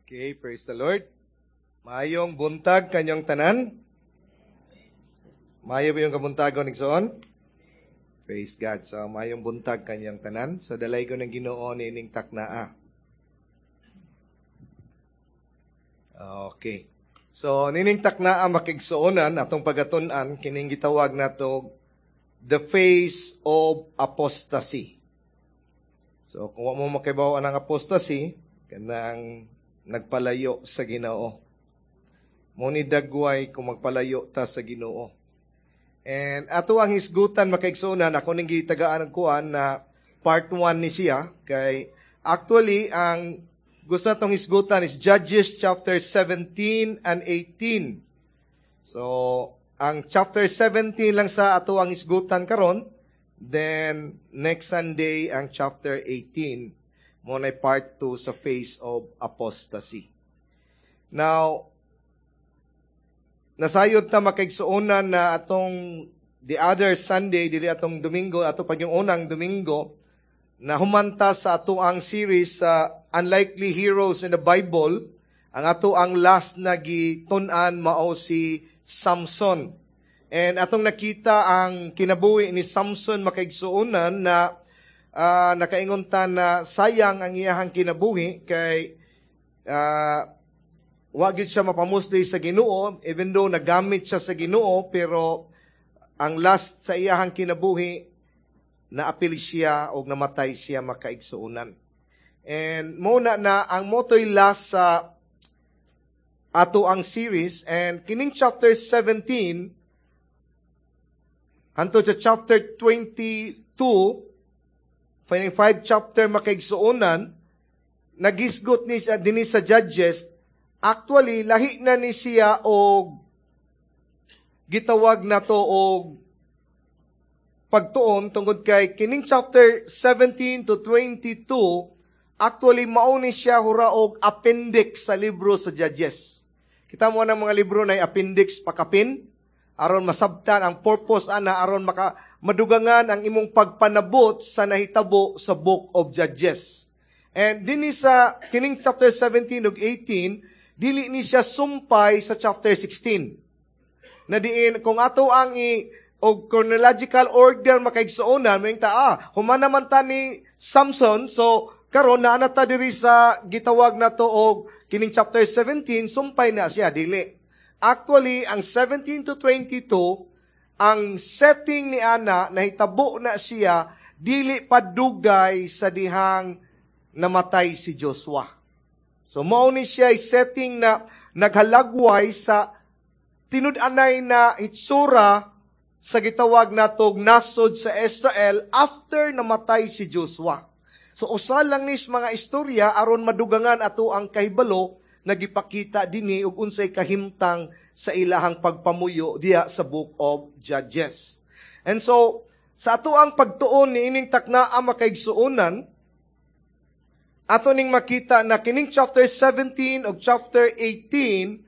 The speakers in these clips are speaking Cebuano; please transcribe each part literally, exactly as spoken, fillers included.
Okay, praise the Lord. Maayong buntag kanyong tanan. Maayo ba inyong kabuntagon igsoon? Praise God. So, maayong buntag kanyong tanan. So, dalaygon ng Ginoo niining taknaa. Okay. So, nining taknaa makigsuonan atong pagatun-an kining gitawag nato the face of apostasy. So, kung wa mo makibaw ang apostasy, kanang nagpalayo sa Ginoo. Mao ni dagway kung magpalayo ta sa Ginoo. And ato ang hisgutan makaigsuonan ako ning gitagaan og kuan na part one ni siya kay actually ang gusto natong hisgutan is Judges chapter seventeen and eighteen. So, ang chapter seventeen lang sa ato ang hisgutan karon, then next Sunday ang chapter eighteen. Mao na part two sa face of apostasy. Now, nasayod ta makaigsuonan na atong the other Sunday, dili atong Domingo, ato pag yung unang Domingo, na humanta sa ato ang series sa Unlikely Heroes in the Bible, ang ato ang last na gitun-an mao si Samson. And atong nakita ang kinabuhi ni Samson makaigsuonan na Uh, nakaingon ta na sayang ang iyahang kinabuhi kay uh, wa gyud siya mapamusli sa Ginoo, even though nagamit siya sa Ginoo, pero ang last sa iyahang kinabuhi naapil siya og namatay siya makaigsuonan. And mo na na ang motoy last sa ato ang series, and kining chapter seventeen hantod sa chapter twenty-two, five chapter makaigsuonan, nagisgot ni siya dinhi sa Judges. Actually lahi na ni siya og gitawag nato og pagtuon tungod kay kining chapter seventeen to twenty-two actually mao ni siya hura og appendix sa libro sa Judges. Kita mo ang mga libro na appendix pakapin aron masabtan ang purpose ana, aron maka madugangan ang imong pagpanabot sa nahitabo sa Book of Judges. And dinhi sa kining chapter seventeen ug eighteen, dili ni siya sumpay sa chapter sixteen. Na diin kung ato ang i og chronological order makaigsuonan, moingon ta, ah, human naman ta ni Samson, so karon naa na ta diri sa gitawag nato og kining chapter seventeen, sumpay na siya, dili. Actually, ang seventeen to twenty-two, ang setting ni ana, nahitabo na siya, dili pa dugay sa dihang namatay si Joshua. So, mao ni siya setting na naghalagway sa tinud-anay na hitsura sa gitawag natog nasod sa Israel after namatay si Joshua. So, usa lang nis mga istorya aron madugangan ato ang kahibalo nagipakita dinhi og unsay kahimtang sa ilahang pagpamuyo diha sa Book of Judges. And so, sa ato ang pagtuon ni ining takna ang makaigsuonan, ato ning makita na kining chapter seventeen og chapter eighteen,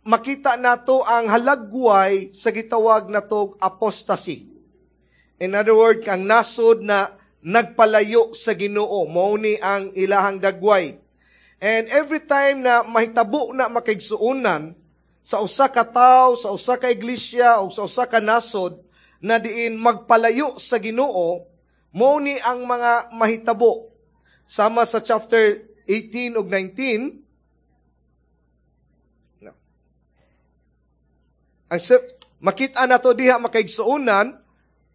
makita nato ang halagway sa gitawag natog apostasy. In other words, ang nasod na nagpalayo sa Ginoo, mao ni ang ilahang dagway. And every time na mahitabo na makaigsuonan sa usa ka tawo, sa usa ka iglesia o sa usa ka nasod na diin magpalayo sa Ginoo, mao ni ang mga mahitabo. Sama sa chapter eighteen ug nineteen, no. Ang makita nato diha makaigsuonan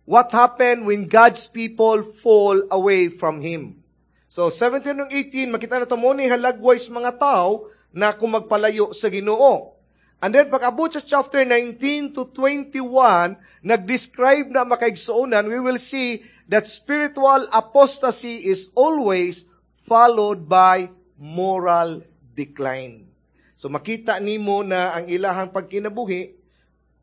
what happened when God's people fall away from Him. So, seventeen ug eighteen, makita nato mo ni halagway sa mga tao na kung magpalayo sa Ginoo. And then, pag-abot sa chapter nineteen to twenty-one, nag-describe na makaigsuonan, we will see that spiritual apostasy is always followed by moral decline. So, makita nimo na ang ilahang pagkinabuhi,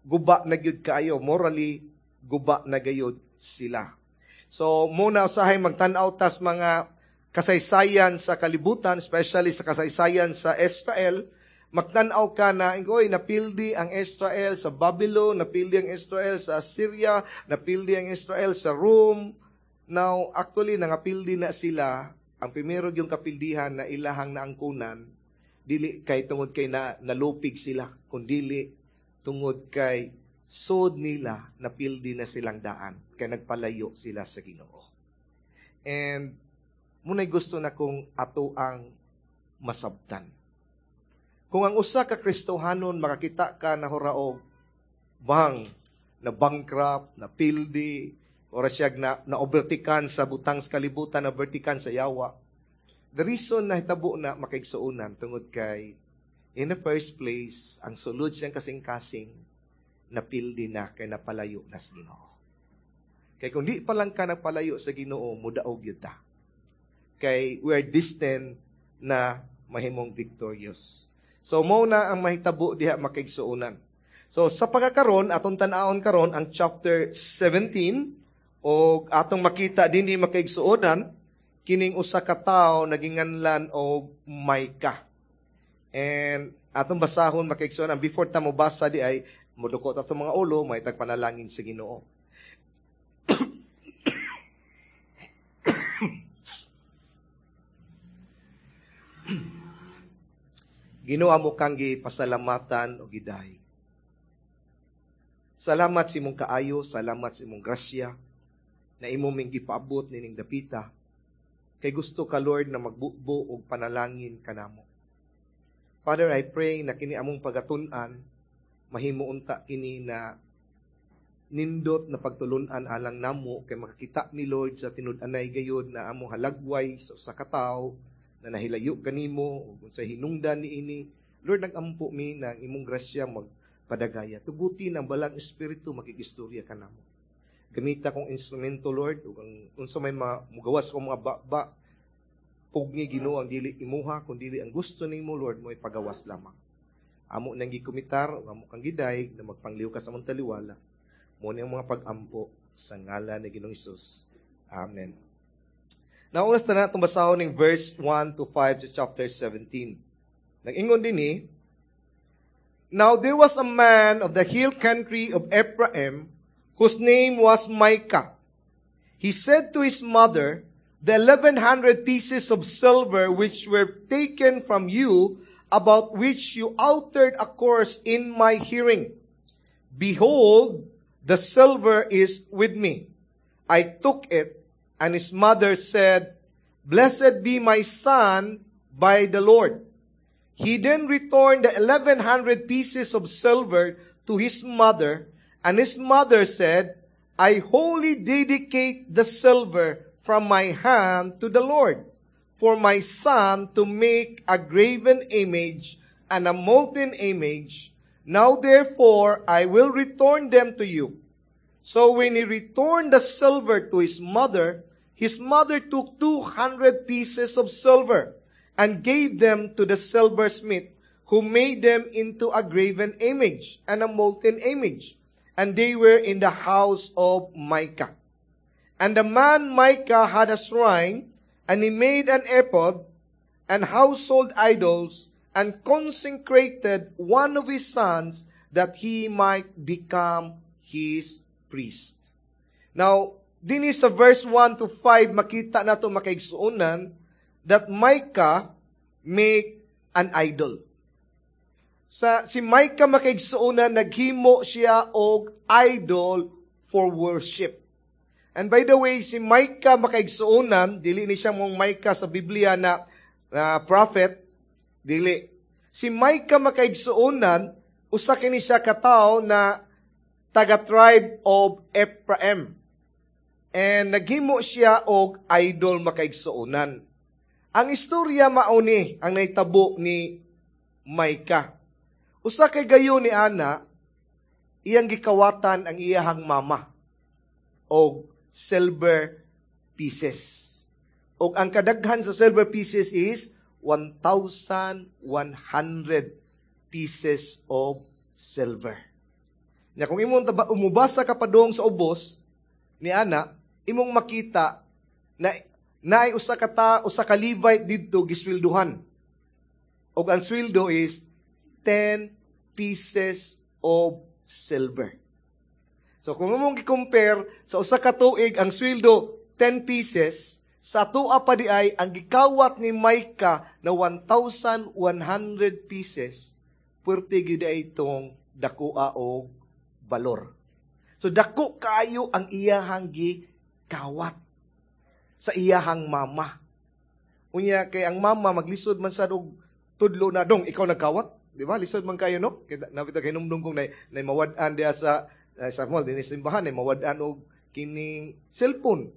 guba na gyud kaayo, morally, guba na gayud sila. So, muna usahay magtan-aw tas mga kasaysayan sa kalibutan, especially sa kasaysayan sa Israel, magtan-aw ka na, oy, napildi ang Israel sa Babylon, napildi ang Israel sa Assyria, napildi ang Israel sa Rome. Now, actually, nangapildi na sila. Ang primero yung kapildihan na ilahang naangkunan, Dili kay tungod kay na, nalupig sila, kundili tungod kay sod nila napildi na silang daan kay nagpalayo sila sa Ginoo. And muna'y gusto na kong ato ang masabtan. Kung ang usa ka Kristohanon makakita ka na huraog bang na bankrupt, na pildi, ora siya na, na overtikan sa butang sa kalibutan, na overtikan sa yawa. The reason na hitabo na makaigsuonan tungod kay in the first place, ang sulod siyang kasing-kasing napildi na kay napalayo na sa Ginoo. Kay kung di pa lang ka nagpalayo sa Ginoo, mudaog yun ta. Kay we are destined na mahimong victorious. So mo na ang mahitabo diha makaigsuonan. So sa pagkakaron atong tan-awon karon ang chapter seventeen og atong makita dinhi makaigsuonan kining usa ka tawo naginganlan og Micah. And atong basahon makaigsuonan before ta mobasa di ay moduko ta sa mga ulo may tagpanalangin sa Ginoo. Ginoo amo kang gipasalamatan og gidaig. Salamat sa imong kaayo, salamat sa imong grasya na imo ming gipaabot nining dapita. Kay gusto ka Lord na magbubo og panalangin kanamo. Father, I pray na kini among pagatun-an mahimo unta kini na nindot na pagtulun-an alang namo kay makakita mi Lord sa tinud-anay gayud na among halagway sa usa ka tawo na nahilayo kanimo ug sa hinungdan niini. Lord, nagampo mi na ang imong grasya magpadagaya. Tuguti ang balang espiritu makigistorya kanamo. Gamita kong instrumento Lord ug ang unsa may mugawas kong mga baba pugni Ginoo ang dili imuha kun dili ang gusto nimo Lord mo ipagawas lamang. Amo nang gikumitar ug amo kang gidayeg na magpangliw ka sa among taliwala. Mo ni ang mga pag-ampo sa ngalan ni Ginoong Hesus. Amen. Now, unas na itong basahon ng verse one to five sa chapter seventeen. Nag-ingon din ni, Now there was a man of the hill country of Ephraim whose name was Micah. He said to his mother, The eleven hundred pieces of silver which were taken from you, about which you uttered a curse in my hearing. Behold, the silver is with me. I took it. And his mother said, Blessed be my son by the Lord. He then returned the eleven hundred pieces of silver to his mother, and his mother said, I wholly dedicate the silver from my hand to the Lord, for my son to make a graven image and a molten image. Now therefore I will return them to you. So when he returned the silver to his mother, his mother took two hundred pieces of silver and gave them to the silversmith, who made them into a graven image and a molten image. And they were in the house of Micah. And the man Micah had a shrine, and he made an ephod and household idols, and consecrated one of his sons that he might become his priest. Now, dinhi sa verse one to five, makita nato makaigsuonan that Micah make an idol. Sa si Micah makaigsuonan, naghimo siya og idol for worship. And by the way, si Micah makaigsuonan, dili ni siya mong Micah sa Biblia na, na prophet, dili. Si Micah makaigsuonan, usa kini siya katawo na taga-tribe of Ephraim. And naghimo siya og idol makaigsuonan. Ang istorya mauni ang nahitabo ni Micah. Usa kay gayon ni ana, iyang gikawatan ang iyahang mama og silver pieces. Og ang kadaghan sa silver pieces is one thousand one hundred pieces of silver. Nya kung imong taba, umubasa ka padung sa ubos ni ana, imong makita na naay usa ka ta, usa ka Levite didto gisweldohan. Og ang sweldo is ten pieces of silver. So kung imong gi-compare sa usa ka tuig ang sweldo ten pieces, Sa atoa pa di ay, ang gikawat ni Micah na one thousand one hundred pieces, puwerte gyud ay itong dakoa og balor. So dako kaayo ang iyahang gikawat sa iyahang mama. Unya kay ang mama maglisod man sad og tudlo na, "Dong, ikaw nagkawat." Di ba? Lisod man kayo, no? Kay napita kay numdum kong nay, nay mawad-an diha sa uh, sa mall dinhi sa simbahan, nay mawad-an og kining cellphone.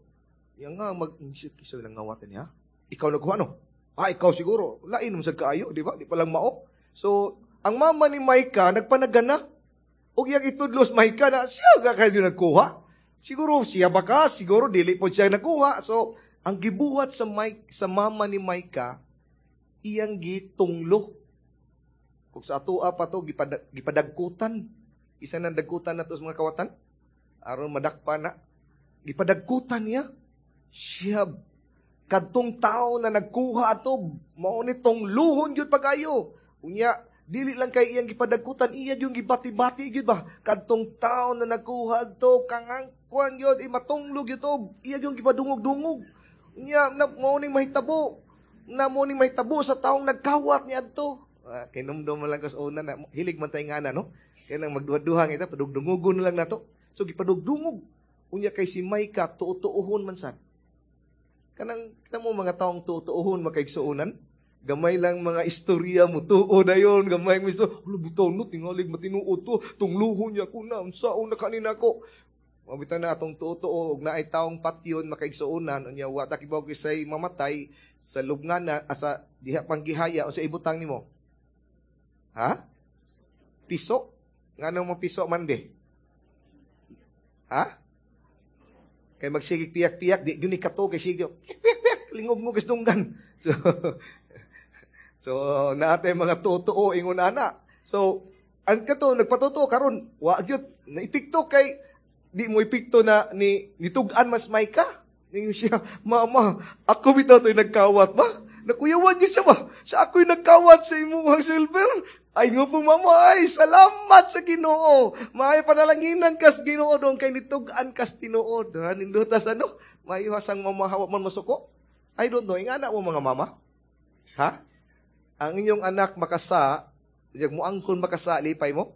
Yang nga mag kisa nang ngawatan niya. "Ikaw nagkuha, no?" "Ah, ikaw siguro." Lain mo sad kaayo, di ba? Di pa lang mao. So, ang mama ni Micah nagpanagana. Og iyang itudlos Micah na siya ga kayo nagkuha. Siguro siya baka, siguro dili po siya nagkuha. So, ang gibuhat sa Mike, sa mama ni Micah, iyang gitunglo. Kung sa atoa pa to, gipadag, gipadagkutan. Isa nang dagkutan na to sa mga kawatan. Aron madakpa na. Gipadagkutan niya. Siya, kadtong tao na nagkuha ato, mao ni tungluhon gyud pag-ayo. Unya, dili lang kay iyang gipadagkutan, iya yung gibati-bati gyud ba? Kadtong tao na nagkuha ato, kangang kuan gyud, imatunglog gyud to, iya yung gipadungog-dungog. Unya, na, mao ning mahitabo. Na mao ning mahitabo sa taong nagkawat ni adto. Ah, kinumdum man lang ko sa una na, hilig man tayo nga na, no? Kaya nang magduha-duha kita, padugdungugon na lang nato. So, gipadugdungog. Unya kay si Micah, tuo-tuohon man sad. Kanang, kita mo mga taong tuo-tuohon makaigsuonan, gamay lang mga istorya mo, tuo na yun, gamay mo istorya, "Hala, bitaw no, tingalig matinuod to, tungluhon niya ko na, unsaon na kanina ko." Mabitaw na atong tuo-tuo, ug naay taong patyon makaigsuonan, unya wa ta kibaw kisay mamatay, sa lubngan na, asa diha pang gihaya, unsa ibutang nimo? Ha? Piso? Nganong mo piso man di? Ha? Kay magsigig piyak-piyak, di gyud ni kato kay sige, piyak piyak piyak, lingog mo dunggan. So, so naatay mga totoo ingon ana. So, ang kato nagpatotoo karon, wa gyud naipikto kay di mo epekto na ni nitug-an mas may ka. Ningon siya, "Mama, ako bitaw to'y nagkawat ba?" Nakuyawan niya siya ba? "Siya ako'y nagkawat sa imong silver." "Ay nga po, mama, ay salamat sa Ginoo. Maayo panalanginan kas Ginoo dong kay nitug-an kas tinuod." Ha, nindutas ano? Maayo hasang mamahawa man masuko. I don't know, ingana mo mga mama? Ha? Ang inyong anak makasa, yag mo angkon makasa, lipay mo?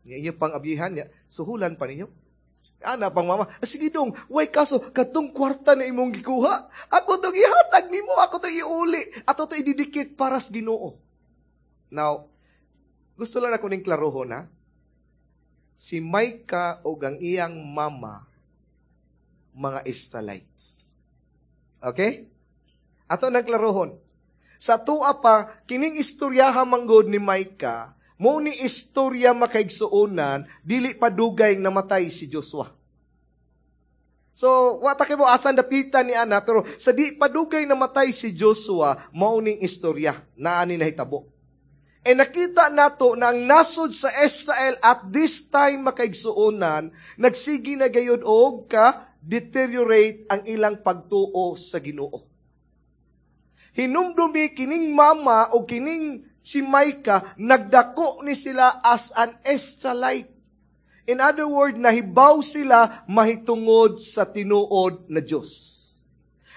Nga inyo pang abihan niya, suhulan pa ninyo. Ana pang mama, "Ah, sige dong, way kaso, katong kwarta na imong gikuha, ako tong ihatag nimo, ako tong iuli, ato to ididikit para sa Ginoo." Now, gusto lang ako ning klarohon ha. Si Micah o ang iyang mama, mga Israelites. Okay? Ato nang klarohon. Sa tua pa, kining istoryaha manggod ni Micah, mo ni istorya makaigsuonan, dili pa dugay namatay si Joshua. So, wa ta mo asan dapitan ni ana, pero sa di pa dugay namatay si Joshua, mao ning istorya na ani nahitabo. E nakita nato na ang nasod sa Israel at this time makaigsuonan, nagsigi na gayud og ka deteriorate ang ilang pagtuo sa Ginoo. Hinumdumi kining mama o kining si Micah, nagdako ni sila as an Israelite. In other words, nahibaw sila mahitungod sa tinuod na Diyos.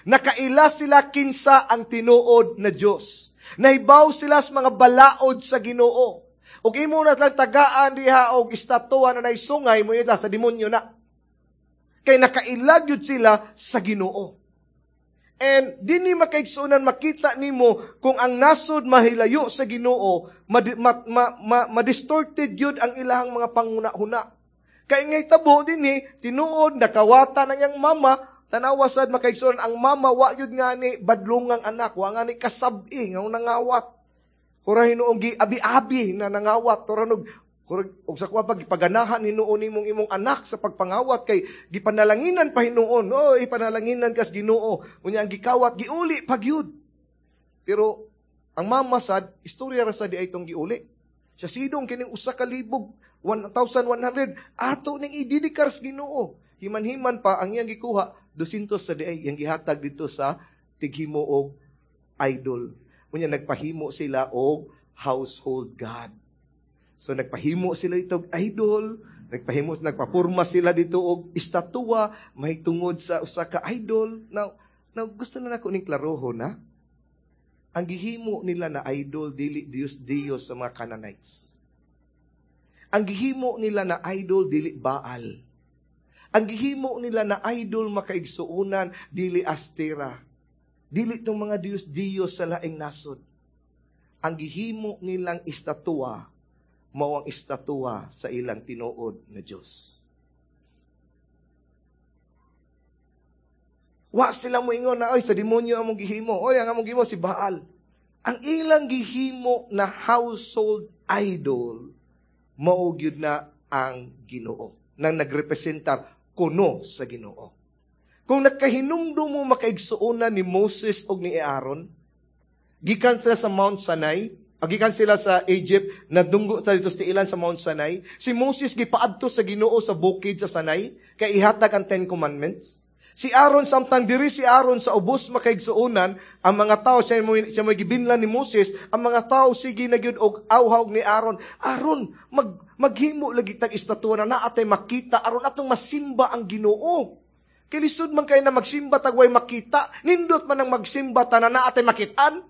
Nakaila sila kinsa ang tinuod na Diyos. Nahibaw sila sa mga balaod sa Ginoo. Ug imo na lang tagaan diha og estatwa na naisungay mo sa demonyo na. Kay nakailag yun sila sa Ginoo. And dinhi makaigsuonan makita nimo kung ang nasod mahilayo sa Ginoo, ma, ma, ma, ma, ma-distorted yun ang ilahang mga panguna-huna. Kay ngay tabo dinhi, tinuod nakawata ng iyang mama, tanawa sad makaigsuonan ang mama wa yun nga ni badlungang anak, wa nga ni kasabi nga nangawat. Hura hinuong gi abi-abi na nangawat, hura nog og sa kuwa pag gipaganahan hinuon nimong imong anak sa pagpangawat kay gipanalanginan pa hinuon. Oh, ipanalanginan kas Ginoo. Unya ang gikawat giuli pagyud. Pero ang mama sad istorya ra sad di ay itong giuli. Siya sidong kining usa ka libog one thousand one hundred ato ning ididikar sa Ginoo. Himan-himan pa ang iyang gikuha two hundred sa di ay iyang gihatag dito sa tighimo og idol. Unya nagpahimo sila og household god. So nagpahimo sila ito og idol, nagpahimo nagpapurma sila dito og estatwa mahitungod sa usa ka idol. Now, Now, gusto na nako ning klarohon na. Ang gihimo nila na idol dili Dios Dios sa mga Canaanites. Ang gihimo nila na idol dili Baal. Ang gihimo nila na idol, makaigsuonan, dili Astera. Dili tong mga Dios Dios sa laing nasod. Ang gihimo nilang estatwa mao ang estatwa sa ilang tinuod na Dios. Wa sila moingon na, "Oy, sa demonyo among gihimo. Oy, ang among gihimo si Baal." Ang ilang gihimo na household idol, mao gyud na ang Ginoo nang nagrepresentar kuno sa Ginoo. Kung nakahinumdum mo, makaigsuonan, ni Moses og ni Aaron, gikan sila sa Mount Sinai, gikan sila sa Egypt, nadunggo ta dito sa ilan sa Mount Sinai. Si Moses gipaadto sa Ginoo sa bukid sa Sinai kay ihatag ang Ten Commandments. Si Aaron, samtang diri si Aaron sa ubos, makaigsuonan, ang mga tao, siya mo siya mo gibinlan ni Moses, ang mga tao sige na gyud og awhaw ni Aaron. "Aaron, mag maghimo lagi tag estatwa na naa tay makita aron atong masimba ang Ginoo. Kay lisod man kay na magsimba tag way makita, nindot man ang magsimba ta na naa tay makitaan."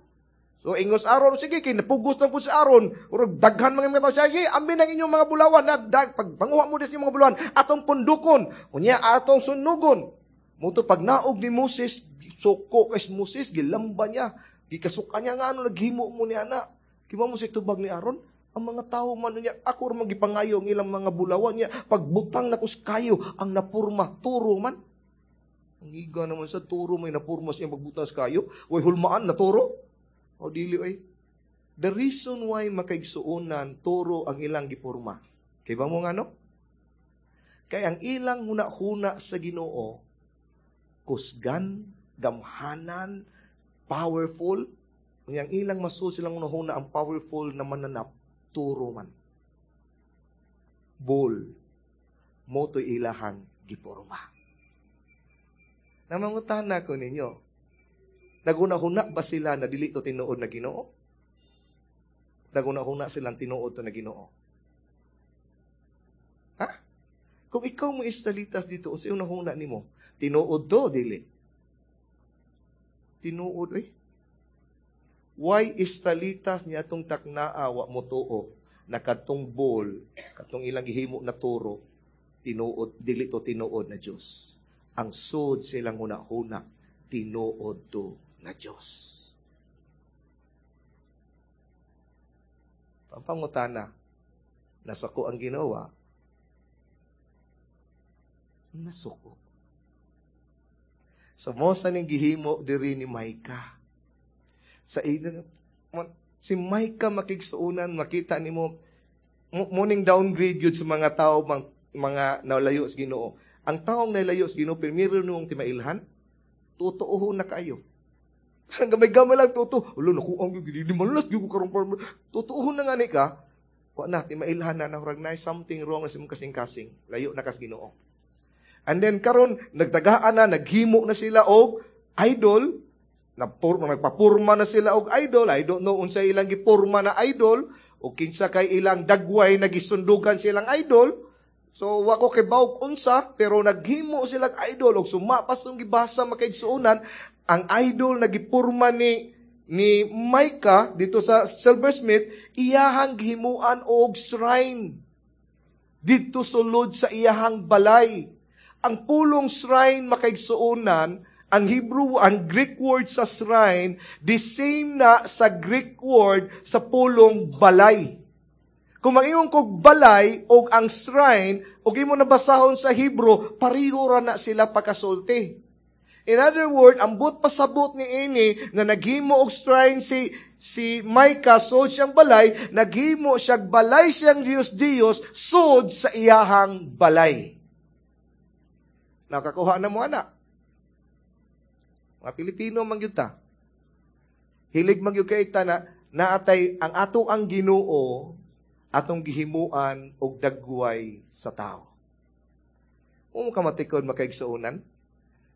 So ingos Aaron, sige, kay napugos lang po si Aaron. Urag daghan mga mga tao siya, "Sige, ambi ng inyong mga bulawan na dag, pag panguha mo des inyong mga bulawan, atong pundukon, unya atong sunugon." Muto pag naog ni Moses, suko kay Moses, gilamba niya, gikasuka niya nga ano naghimo mo ni ana. Kiba mo si tubag ni Aaron, ang mga tao man niya, ako ra magipangayo ang ilang mga bulawan niya, pagbutang na kus kayo, ang napurma, turo man. Ang iga naman sa turo may napurma siya pagbutang sa kayo, way hulmaan na turo. O dili ay. The reason why, makaigsuonan, turo ang ilang gipurma. Kay ba mo nga no? Kay ang ilang huna-huna sa Ginoo, kusgan, gamhanan, powerful. Ang ilang masul silang huna-huna ang powerful na mananap, turo man. Bull. Moto'y ilahang giporma. Namangutana ko ninyo, naguna-huna ba sila na dili to tinuod na Ginoo? Naguna-huna silang tinuod to na Ginoo? Ha? Kung ikaw mo Israelitas dito, o sa huna nimo, tinuod to, dili? Tinuod, eh. Why Israelitas niya atong taknaa wa mo tuo na katong bull, katong ilang gihimo na turo, tinuod, dili to tinuod na Diyos? Ang sud silang huna-huna, tinuod to na Diyos. Pampangutana, nasuko ang ginawa, nasuko. So, mo sa ning gihimo diri ni Micah. Sa ilang, si Micah, makigsuunan, makita nimo morning downgrade yun sa mga tao, mga, mga nalayo sa Ginoo. Ang taong nalayo sa Ginoo, primero nung timailhan, totoo na kayo. Gamay-gamay lang, totoo. Ulo, naku, ang gili malas, ko karong par. Totoo na nga ni ka, wa na, timailhan na, nahurag na something wrong na sa imong kasing-kasing. Layo na kas Ginoo. And then karon nagtagaan na, naghimo na sila og idol, napur, nagpapurma na sila og idol. I don't know unsa ilang gipurma na idol, o kinsa kay ilang dagway nagisundugan silang idol. So wa ko kay bawog unsa, pero naghimo silang idol og sumapas tong gibasa, makaigsuonan, ang idol na gipurma ni ni Micah dito sa silversmith, iyahang gihimuan og shrine didto sulod sa iyahang balay. Ang pulong shrine, makaigsuonan, ang Hebrew, ang Greek word sa shrine, the same na sa Greek word sa pulong balay. Kung maingon kog balay o ang shrine, o imo nabasahon sa Hebrew, pareho ra na sila pagkasulti. In other word, ang but pasabot ni ini nga naghimo og shrine si si Micah sud siyang balay, naghimo siya balay siyang Dios Dios sud sa iyahang balay. Nakakuha na mo ana. Mga Pilipino man gyud ta. Hilig man gyud kay ta na naatay ang ato ang Ginoo atong gihimuan og dagway sa tao. Kung kamatikod, makaigsuonan,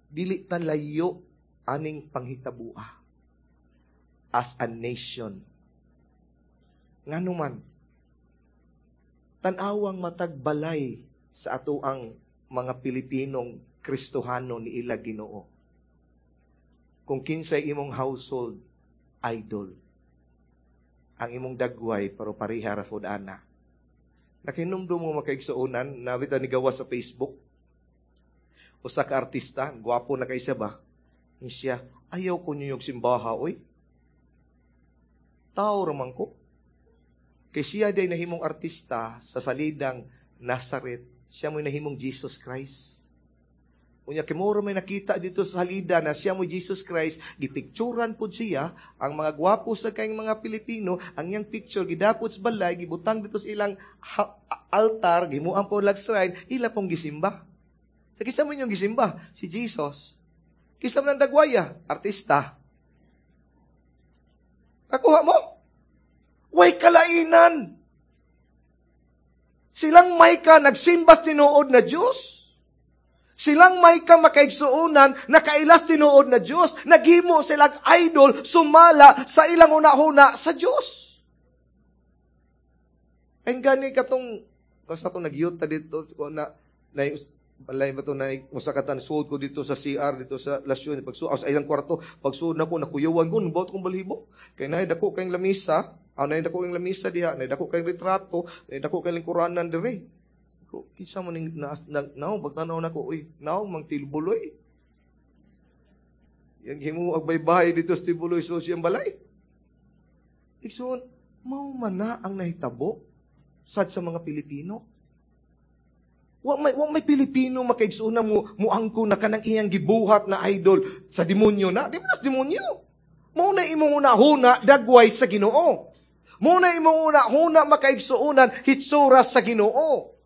dili ta layo aning panghitabua as a nation. Ngano man, tan-awang matag balay sa ato ang mga Pilipinong Kristohano ni ila Ginoo. Kung kinsay imong household idol. Ang imong dagway pero pareha ra pud ana. Nakinumdum mo, makaigsuonan, nabita ni gawa sa Facebook. Usa ka artista, gwapo na kay siya ba? Ni siya, "Ayaw ko niyo yung simbaha, oy. Tao raman ko." Kay siya day nahimong artista sa salidang Nazareth, siya mo'y nahimong Jesus Christ. Unya kay muro may nakita dito sa salida na siya mo Jesus Christ, gipicturan pud siya ang mga gwapo sa kayong mga Pilipino, ang iyang picture gidapot sa balay, gibutang dito sa ilang altar, gimuan po lag shrine, ila pong gisimba. Sa kinsa mo inyong gisimba? Si Jesus. Kinsa man ang dagwaya? Artista. Nakuha mo? Way kalainan. Silang Micah nagsimbas tinuod na Diyos. Silang Micah, makaigsuonan, nakailas tinuod na Diyos. Naghimo silang idol, sumala sa ilang una-una sa Diyos. Ay gani katong, basta itong nagyuta dito, ko na, na balay ba ito na usa ka tan suod ko dito sa C R dito sa Lasyon, pagsuod sa ilang kwarto, pagsuod na ko, nakuyawan ko, nabot kong balhibo kay naay dako kayong lamisa, ah, naay dako kayong lamisa diha, naay dako kayong retrato, naay dako kayong lingkuranan diri ko. Kinsa man ning na, na, naong pagtanaw nako, uy, naong mang Tibuloy. Yang himo ag baybay dito sa Tibuloy so siyang balay. Igsoon, mao man na ang nahitabo sad sa mga Pilipino. Wa may wa may Pilipino, makaigsoon, na mo muangko na kanang iyang gibuhat na idol sa demonyo na. Di ba sa demonyo? Mao na imong una-huna dagway sa Ginoo. Mao na imong una-huna, makaigsuonan, hitsura sa Ginoo.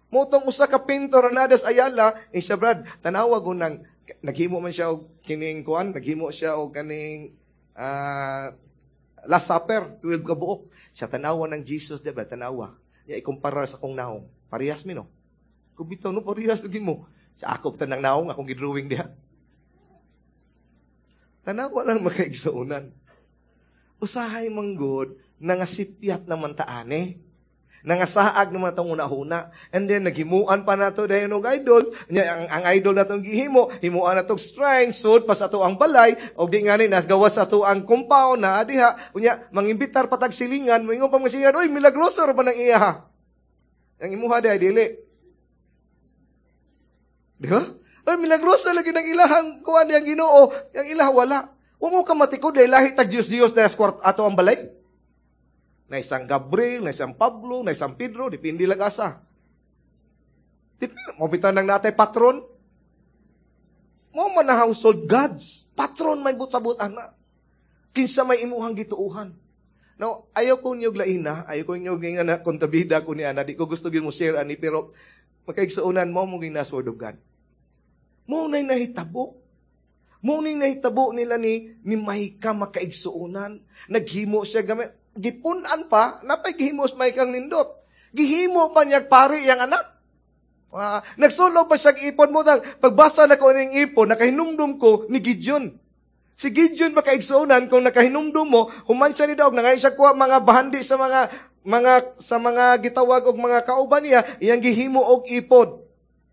Mao tong usa ka pintor na nadas Ayala, eh siya, "Brad, tanawa ko nang naghimo man siya og kining kuan, naghimo siya og kaning uh, Last Supper, twelve ka buok." Siya, "Tanawa ng Jesus, di ba? Tanawa. Ya ikumpara sa kong naong. Parehas mi, no?" Kubitaw no, parehas lagi mo. Sa ako tanang naong akong gidrawing diha. Tanawa lang, makaigsuonan. Usahay manggod, nangasipyat naman taane. Nangasaag naman itong una-una. And then, naghimuan pa nato dayon og idol. Nya, ang, ang idol natong gihimo, himuan natong shrine, sud pa sa ato ang balay, og di nga ni, nasgawas sa ato ang compound na diha. Unya, mangimbitar patag silingan, moingon pa mga silingan, "Uy, milagroso ra ba ng iya?" Ang imuha diha, dili. Di ba? "Ay, milagroso lagi ng ilahang kuan yang Ginoo, yang ilaha wala." Wa mo ka matikod dahil lahi tag Dios Dios na sa ato ang balay. Na isang Gabriel, na isang Pablo, na isang Pedro, depende lang asa. Depende, mo bitan ng natay patron. Mo man na household gods. Patron may but-sabot ana. Kinsa may imuhang gituuhan. Now, ayaw ko niyo laina, ayaw ko niyo nga na kontabida ko ni ana, di ko gusto gyud mo share ani, pero makaigsuonan mo mo ging word of God. Mo na nahitabo. Mo ning nahitabo nila ni ni Micah, makaigsuonan. Naghimo siya gamit gipun-an pa, napay gihimo sa Micah nindot. Gihimo pa niya pari yang anak. Uh, nagsulo pa siya ipon mo dang pagbasa na ko ning ipon, nakahinumdum ko ni Gideon. Si Gideon, makaigsuonan, kung nakahinumdum mo, human siya ni daog, nangay siya kuha mga bahandi sa mga mga sa mga gitawag og mga kauban niya, iyang gihimo og ipod.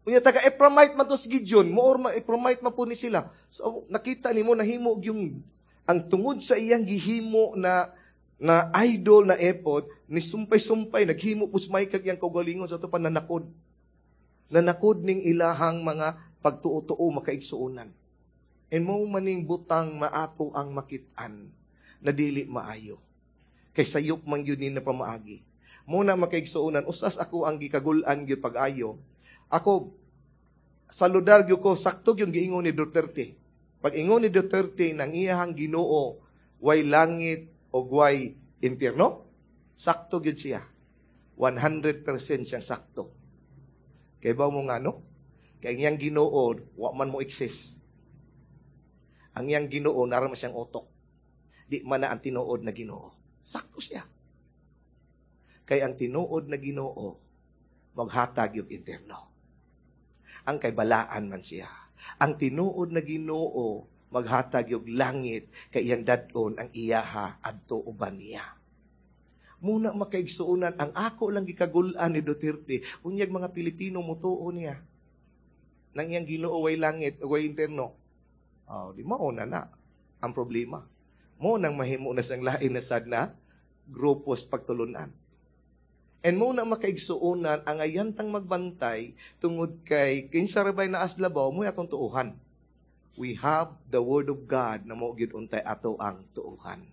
Unya taga Ephraimite man to si Gideon, moor ma Ephraimite man po ni sila. So nakita nimo nahimo yung ang tungod sa iyang gihimo na na idol na ephod, ni sumpay-sumpay, naghimo po sa iyang kaugalingon sa ato pananakod. Nanakod ning ilahang mga pagtuo-tuo, makaigsuonan. And mo maning butang maato ang makit-an na dili maayo. Kay sayop man yun ni na pamaagi. Muna, makaigsuonan, usas ako ang gikagul-an gyud pag-ayo. Ako, saludar gyud ko, sakto yung giingon ni Duterte. Pag ingon ni Duterte nang iyahang Ginoo way langit o way impyerno, sakto gyud siya. one hundred percent siyang sakto. Kay ba mo nga no? Kay ang iyang Ginoo wa man mo exist. Ang iyang Ginoo nara man siyang utok. Di man na ang tinuod na Ginoo. Sakto siya. Kay ang tinuod na Ginoo maghatag yung impyerno. Ang kay balaan man siya. Ang tinuod na Ginoo maghatag yung langit kay iyang dadon ang iyaha adto uban niya. Muna, makaigsuonan, ang ako lang gikagulan ni Duterte, unyag mga Pilipino mutuo niya. Nang iyang Ginoo way langit, way impyerno. Oh, di mao na na ang problema. Mao nang mahimo na sang lain na sad na grupo sa pagtulunan. And mao na makaigsuonan ang ayantang magbantay tungod kay kinsa ra bay naa sa labaw mo atong tuuhan. We have the word of God na mao gyud untay ato ang tuuhan.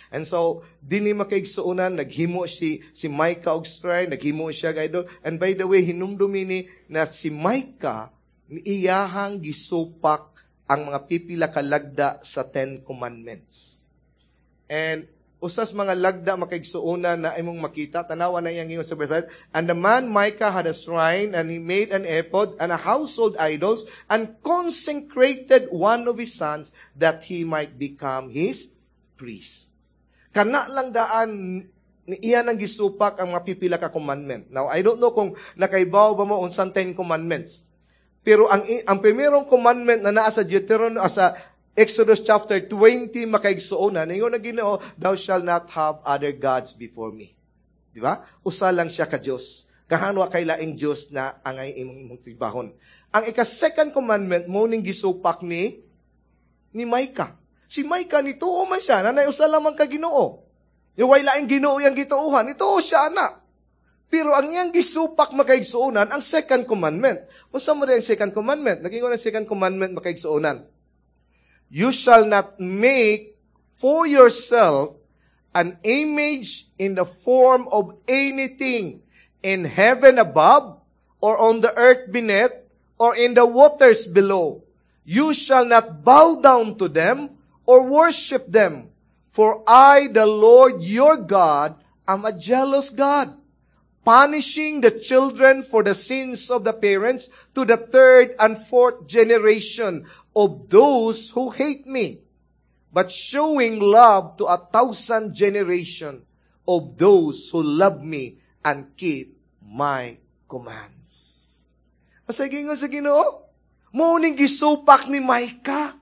And so, dinhi makaigsuonan, naghimo si, si Micah og shrine, naghimo siya idol. And by the way, hinumdumi ni na si Micah, iyahang gisupak ang mga pipila ka lagda sa Ten Commandments. And usas mga lagda makaigsuonan na imong makita, tanawa na iyang ingon sa verse five, "And the man Micah had a shrine, and he made an ephod and a household idols, and consecrated one of his sons that he might become his priest." Kana lang daan iya nang gisupak ang mga pipila ka commandment. Now, I don't know kung nakaibaw ba mo unsang Ten Commandments. Pero ang ang primerong commandment na naa sa Deuteronomy, ah, sa Exodus chapter twenty makaigsuonan, ningon ang Ginoo, "Thou shalt not have other gods before me." Di ba? Usa lang siya ka Dios. Kahanwa kay laing Dios na angay imong imong tribahon. Ang ika-second commandment mo ning gisupak ni ni Micah. Si Micah nituo man siya, nanay usa lamang ka Ginoo. Yung way laing Ginoo yang gituohan, nituo siya ana. Pero ang iyang gisupak makaigsuonan, ang second commandment. Unsa mo ang second commandment? Nagingon ang second commandment makaigsuonan. "You shall not make for yourself an image in the form of anything in heaven above, or on the earth beneath, or in the waters below. You shall not bow down to them or worship them. For I, the Lord your God, am a jealous God, punishing the children for the sins of the parents to the third and fourth generation of those who hate me, but showing love to a thousand generation of those who love me and keep my commands." Asa gingon sa Ginoo? Mao ning gisupak ni Micah.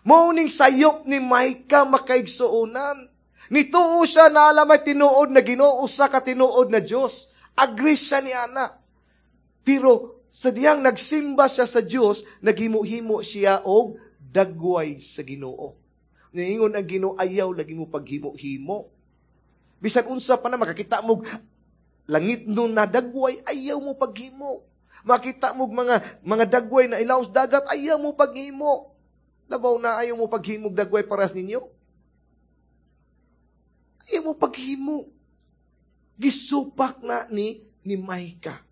Mao ning sayop ni Micah makaigsuonan. Nituo siya na alam ay tinuod na Ginoo, usa ka tinuod na Dios. Agree siya ni ana. Pero sa diyang nagsimba siya sa Dios, naghimo-himo siya og dagway sa Ginoo. Niingon ang Ginoo, "Ayaw lagi mo paghimo-himo. Bisan unsa pa na makakita mo langit no na dagway, ayaw mo paghimo. Makita mo mga mga dagway na ilaw sa dagat, ayaw mo paghimo." Labaw na ayaw mo paghimog dagway paras ninyo. Ayaw mo paghimo. Gisupak na ni ni Micah.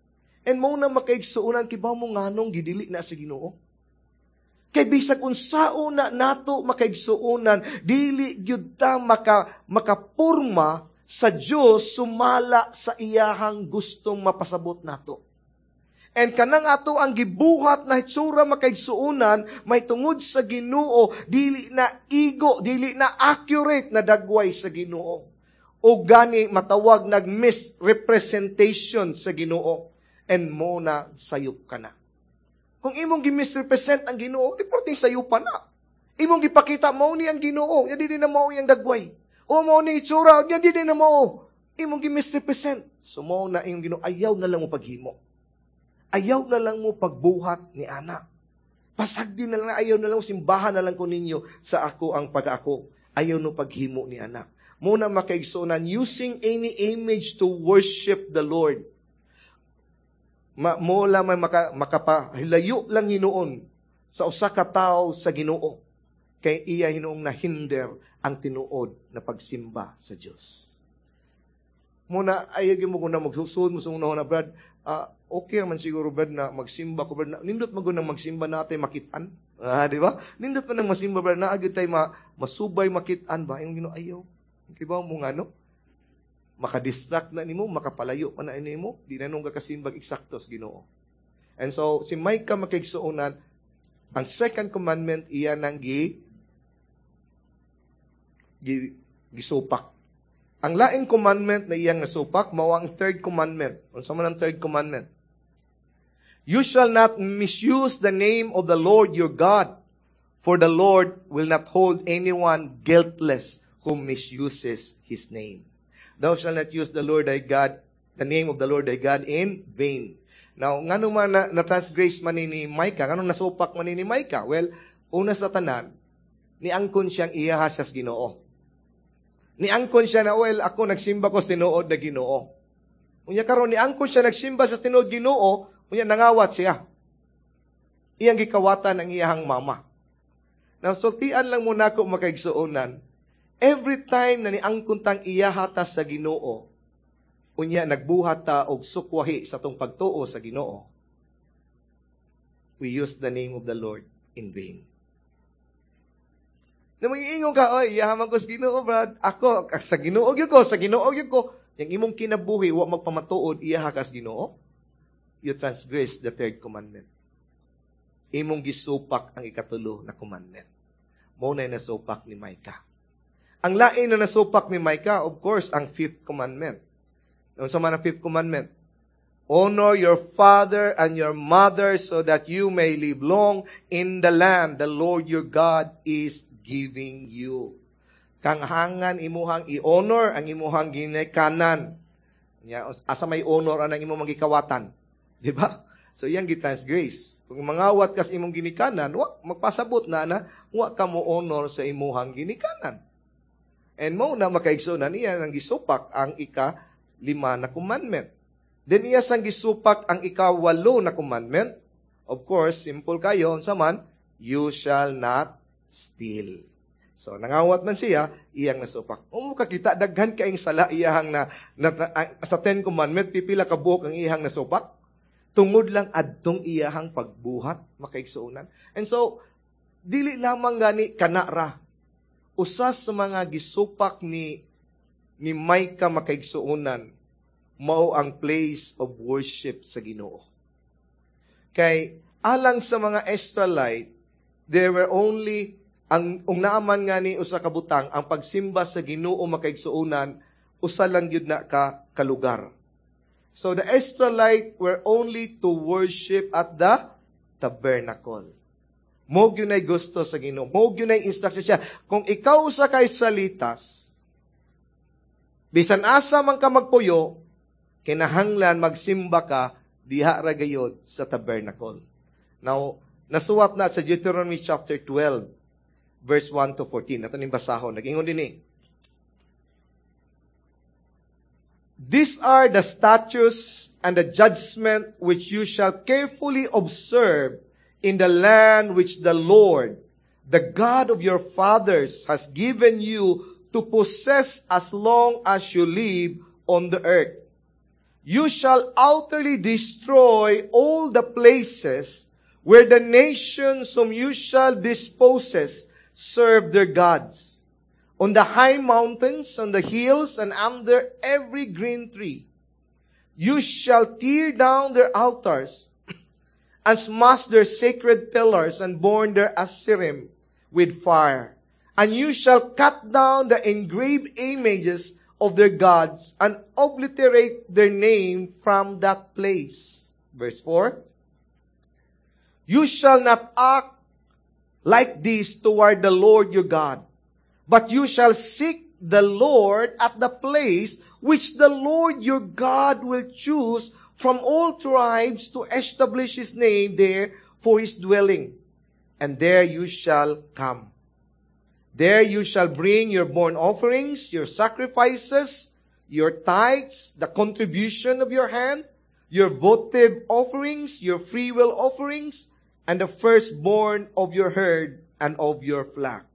And mo na makaigsuonan, kibaw mo nganong gidili na sa Ginoo. Kay bisag unsao na nato makaigsuonan, dili gyud ta maka makapurma sa Dios sumala sa iyahang gustong mapasabot nato. And kanang ato ang gibuhat na hitsura makaigsuonan, may tungod sa Ginoo, dili na igo, dili na accurate na dagway sa Ginoo. O gani matawag nag misrepresentation sa Ginoo and mo na sayop ka na. Kung imong gi-misrepresent ang Ginoo, di porte sayop na. Imong gipakita mao ni ang Ginoo, nya dili na mao iyang dagway. O mao ni itsura, nya dili na mao. Imong gi-misrepresent. So mao na imong Ginoo, ayaw na lang mo paghimo. Ayaw na lang mo pagbuhat ni ana. Pasagdi na lang, ayaw na lang, simbahan na lang ko ninyo sa ako ang pag-ako. Ayaw no paghimo ni ana. Muna makaigsuonan, using any image to worship the Lord. Ma, mo lang may maka, makapahilayo lang hinuon sa usa ka tawo sa Ginoo. Kay iya hinuong nahinder ang tinuod na pagsimba sa Dios. Muna, ayaw mo kung na magsusud mo sa unahon na, "Brad, uh, okay man siguro, Brad, na magsimba ko, Brad. Nindot man nang magsimba natin makitaan." Ah, di ba? Nindot man nang masimba, Brad, na agad tayo ma, masubay makitaan ba? Yung Ginoo, ayaw. Kibaw mo nga, no? Makadistract na nimo, makapalayo pa na nimo, di na nung kakasimbag eksakto sa Ginoo. And so, si Micah makigsuonan, ang second commandment, iya nang gi, gi, gisupak. Ang laing commandment na iyang nasupak, mao ang third commandment. Unsa man ang third commandment? "You shall not misuse the name of the Lord your God, for the Lord will not hold anyone guiltless who misuses His name. Thou shalt not use the Lord thy God, the name of the Lord thy God in vain." Now, ngano man na, na-transgress man ni Micah, ngano nasupak man ni Micah? Well, Una sa tanan, niangkon siyang iyaha siya sa Ginoo. Niangkon siya na, well, ako nagsimba ko sa tinuod na Ginoo. Unya karon niangkon siya nagsimba sa tinuod Ginoo, unya nangawat siya. Iyang gikawatan ang iyahang mama. Now, sultian lang mo nako makaigsuonan, every time na niangkon tang iyaha ta sa Ginoo, unya nagbuhat ta og sukwahi sa tong pagtuo sa Ginoo, we use the name of the Lord in vain. Na mag-iingon ka, oy, iyaha man ko sa Ginoo, brad. Ako, sa Ginoo gyud ko, sa Ginoo gyud ko. Yang imong kinabuhi, wa magpamatuod, iyaha ka sa Ginoo. You transgress the third commandment. Imong gisupak ang ikatulo na commandment. Mao na nasupak ni Micah. Ang lain na nasupak ni Micah, of course, ang fifth commandment. Unsa man ang fifth commandment? Honor your father and your mother so that you may live long in the land the Lord your God is giving you. Kanghangan imuhang i-honor ang imuhang ginikanan. Ya, asa may honor anang imong magikawatan. Di ba? So iyang gitransgress. Kung mangawat kas imong ginikanan, wa magpasabot na na wa ka mo honor sa imuhang ginikanan. And mao na makaigsuonan iya nang gisupak ang ika lima na commandment. Then iya sang gisupak ang ika-walo na commandment. Of course, simple kayo, unsa man, you shall not steal. So, nangawat man siya, iyang nasupak. Kung kakita, daghan kaing sala iyahang na, na, na, sa Ten Commandment, pipila ka buok ang iyahang nasupak. Tungod lang adtong iyahang pagbuhat, makaigsuonan. And so, dili lamang gani kanara. Usa sa mga gisupak ni ni Micah makaigsuonan, mao ang place of worship sa Ginoo. Kay alang sa mga Israelite, there were only ang ung naaman nga ni usa ka butang ang pagsimba sa Ginoo makaigsuonan usa lang gyud na ka kalugar. So the Israelite were only to worship at the tabernacle. Mao gyud nay gusto sa Ginoo. Mao gyud nay instruction siya. Kung ikaw usa ka Israelitas, bisan asa man ka magpuyo, kinahanglan magsimba ka diha ra gayod sa tabernacle. Now, nasuwat na sa Deuteronomy chapter twelve, verse one to fourteen. Ato ning basahon. Nag-ingon din eh. These are the statutes and the judgment which you shall carefully observe in the land which the Lord, the God of your fathers, has given you to possess as long as you live on the earth. You shall utterly destroy all the places where the nations whom you shall dispossess serve their gods. On the high mountains, on the hills, and under every green tree. You shall tear down their altars and smash their sacred pillars and burn their Asherim with fire. And you shall cut down the engraved images of their gods and obliterate their name from that place. Verse four. You shall not act like this toward the Lord your God, but you shall seek the Lord at the place which the Lord your God will choose from all tribes to establish His name there for His dwelling. And there you shall come. There you shall bring your burnt offerings, your sacrifices, your tithes, the contribution of your hand, your votive offerings, your freewill offerings, and the firstborn of your herd and of your flock.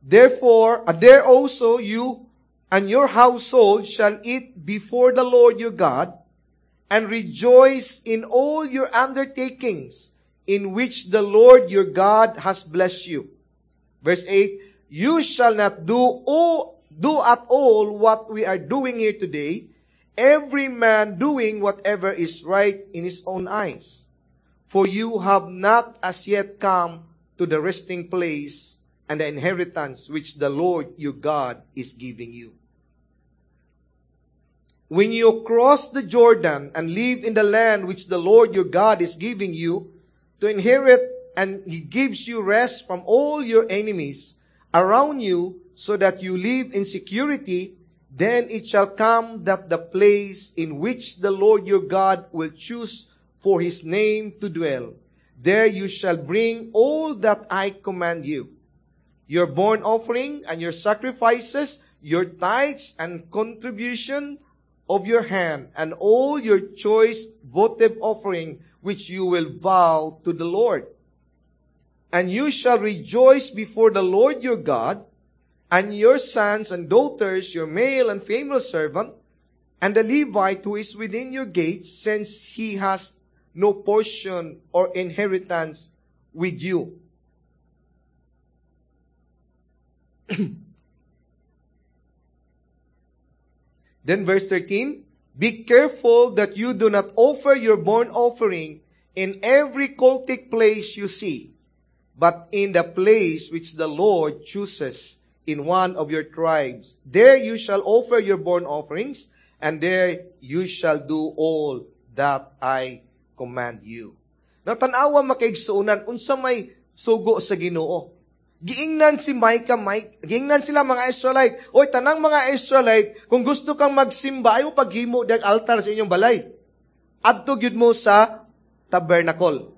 Therefore, uh, there also you and your household shall eat before the Lord your God, and rejoice in all your undertakings in which the Lord your God has blessed you. Verse eight, you shall not do all, do at all what we are doing here today, every man doing whatever is right in his own eyes. For you have not as yet come to the resting place and the inheritance which the Lord your God is giving you. When you cross the Jordan and live in the land which the Lord your God is giving you to inherit, and He gives you rest from all your enemies around you so that you live in security, then it shall come that the place in which the Lord your God will choose for His name to dwell, There you shall bring all that I command you. Your burnt offering and your sacrifices, your tithes and contribution of your hand, and all your choice votive offering which you will vow to the Lord. And you shall rejoice before the Lord your God, and your sons and daughters, your male and female servant, and the Levite who is within your gates, since he has no portion or inheritance with you. Then verse thirteen, be careful that you do not offer your burnt offering in every cultic place you see, but in the place which the Lord chooses in one of your tribes. There you shall offer your burnt offerings, and there you shall do all that I command you. Natanawa makaigsuonan, unsa may sugo sa Ginoo. Giingnan si Micah, Mike, giingnan sila mga Israelite. Oy, tanang mga Israelite, kung gusto kang magsimba, ayaw paghimo dag altar sa inyong balay. Adto gyud mo sa tabernacle.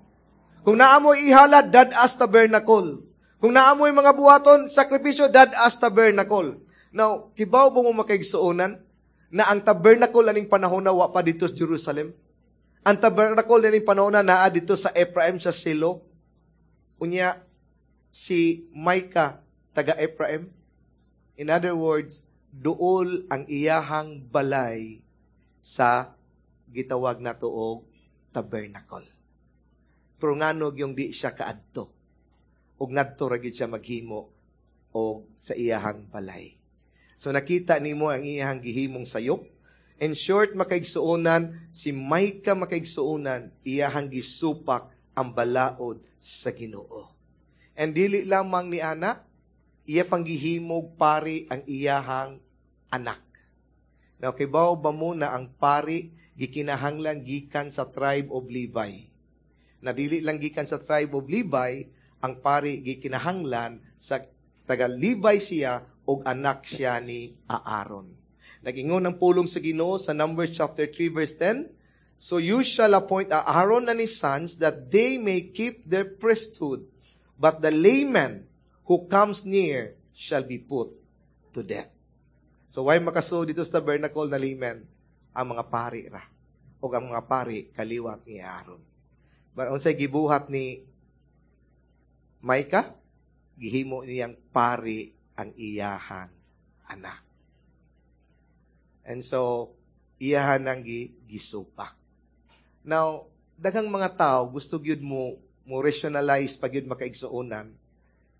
Kung naa mo ihalad, dad-as tabernacle. Kung naa mo'y mga buhaton, sakripisyo, dad-as tabernacle. Now, kibaw ba mo makaigsuonan na ang tabernacle aning panahon na wa pa dito sa Jerusalem? Ang tabernacle aning panahon na naa dito sa Ephraim sa Silo. Unya, si Micah, taga Ephraim. In other words, duol ang iyahang balay sa gitawag na tuog tabernacle. Pero nganog yung di siya kaadto. Og ngadto ra gid siya maghimo og sa iyahang balay. So nakita nimo ang iyahang gihimong sayop. In short, makaigsuonan, si Micah makaigsuonan, iyahang gisupak ang balaod sa Ginoo. And dili lamang ni ana, iya pang gihimog pari ang iyahang anak. Now, kibaw ba mo na ang pari gikinahanglan gikan sa tribe of Levi? Na dili lang gikan sa tribe of Levi, ang pari gikinahanglan sa taga Levi siya og anak siya ni Aaron. Nag-ingon ang pulong sa Ginoo sa Numbers chapter three verse ten, So you shall appoint Aaron and his sons that they may keep their priesthood, but the layman who comes near shall be put to death. So why makasuod dito sa tabernacle na layman? Ang mga pari ra. O ang mga pari kaliwat ni Aaron. But unsay gibuhat ni Micah? Gihimo niyang pari ang iyahang anak. And so, iyahan ang gisupak. Now, daghang mga tao gusto gyud mo mo rationalize pag yun makaigsuonan,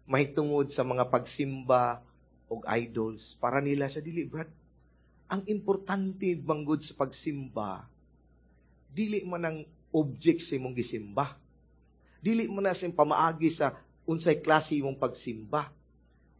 mahitungod sa mga pagsimba og idols, para nila sa dili, Brad. Ang importante manggod sa pagsimba, dili man ang object sa imong gisimba. Dili man na sa pamaagi sa unsay klase imong pagsimba.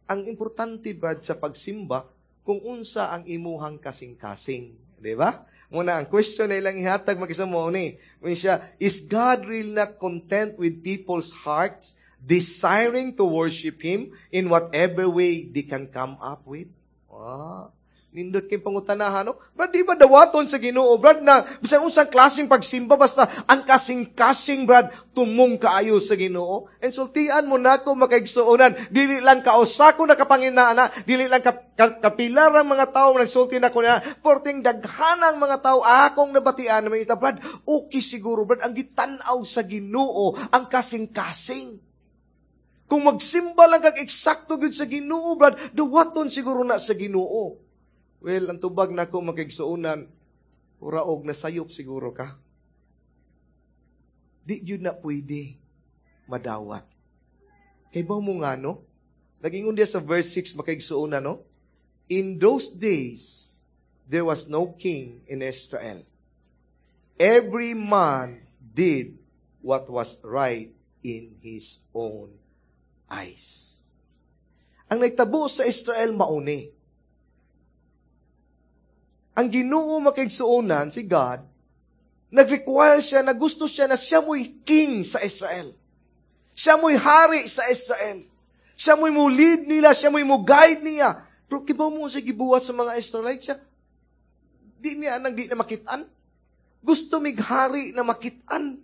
Ang importante, Brad, sa pagsimba, kung unsa ang imuhang kasing-kasing. Di ba? Muna, ang question na ilang ihatag mag-isa mo ni. Siya, is God really not content with people's hearts desiring to worship Him in whatever way they can come up with? Ah, nindot kay pangutanahan, no? Brad, di ba dawaton sa Ginoo, Brad, na bisan unsang klaseng pagsimba, basta ang kasing-kasing, Brad, tumong kaayo sa Ginoo. And sultian mo nako makaigsuonan, dili lang kausa ko nakapanginana, dili lang kap, kap, kapilar ang mga tao nagsulti nako na, porting daghanang mga tao akong nabatian na may ita, Brad, okay siguro, Brad, ang gitan-aw sa Ginoo ang kasing-kasing. Kung magsimba lang kag eksakto gyud sa Ginoo, Brad, dawaton siguro na sa Ginoo. Well, ang tubag na ko makigsuonan, uraog na sayop siguro ka. Di yun na pwede madawat. Kay ba mo nga, no? Nag-ingon diya sa verse six, makigsuonan, no? In those days, there was no king in Israel. Every man did what was right in his own eyes. Ang nagtabo sa Israel mauni. Ang Ginoo makigsuonan, si God, nag-require siya, na gusto siya na siya mo'y king sa Israel. Siya mo'y hari sa Israel. Siya mo'y mo-lead nila, siya mo'y mo-guide niya. Pero kibaw mo sa gibuhat sa mga Israelites siya, di niya nang di na makitaan. Gusto mighari na makitaan.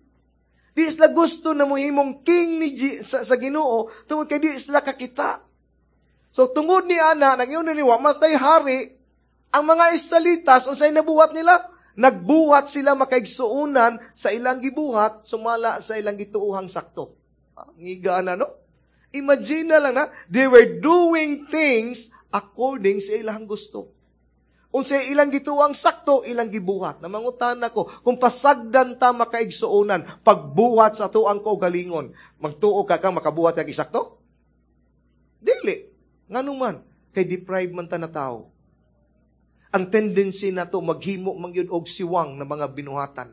Di sila gusto na muhimong king ni G- sa, sa Ginoo tungod kay di sila kakita. So tungod ni ana nag-ingon ni wa man tay hari ang mga Israelitas unsay nabuhat nila? Nagbuhat sila makaigsuonan sa ilang gibuhat sumala sa ilang gituohang sakto. Ah, ngiga na no? Imagine na lang na they were doing things according sa ilang gusto. Unsay ilang gituohang sakto, ilang gibuhat. Namangutan ako, kung pasagdan ta makaigsuonan, pagbuhat sa atuang kaugalingon, magtuo ka kang makabuhat kag isakto? Dili. Ngano man, kay deprive man ta na tao. Ang tendency nato maghimo man gyud og siwang na mga binuhatan.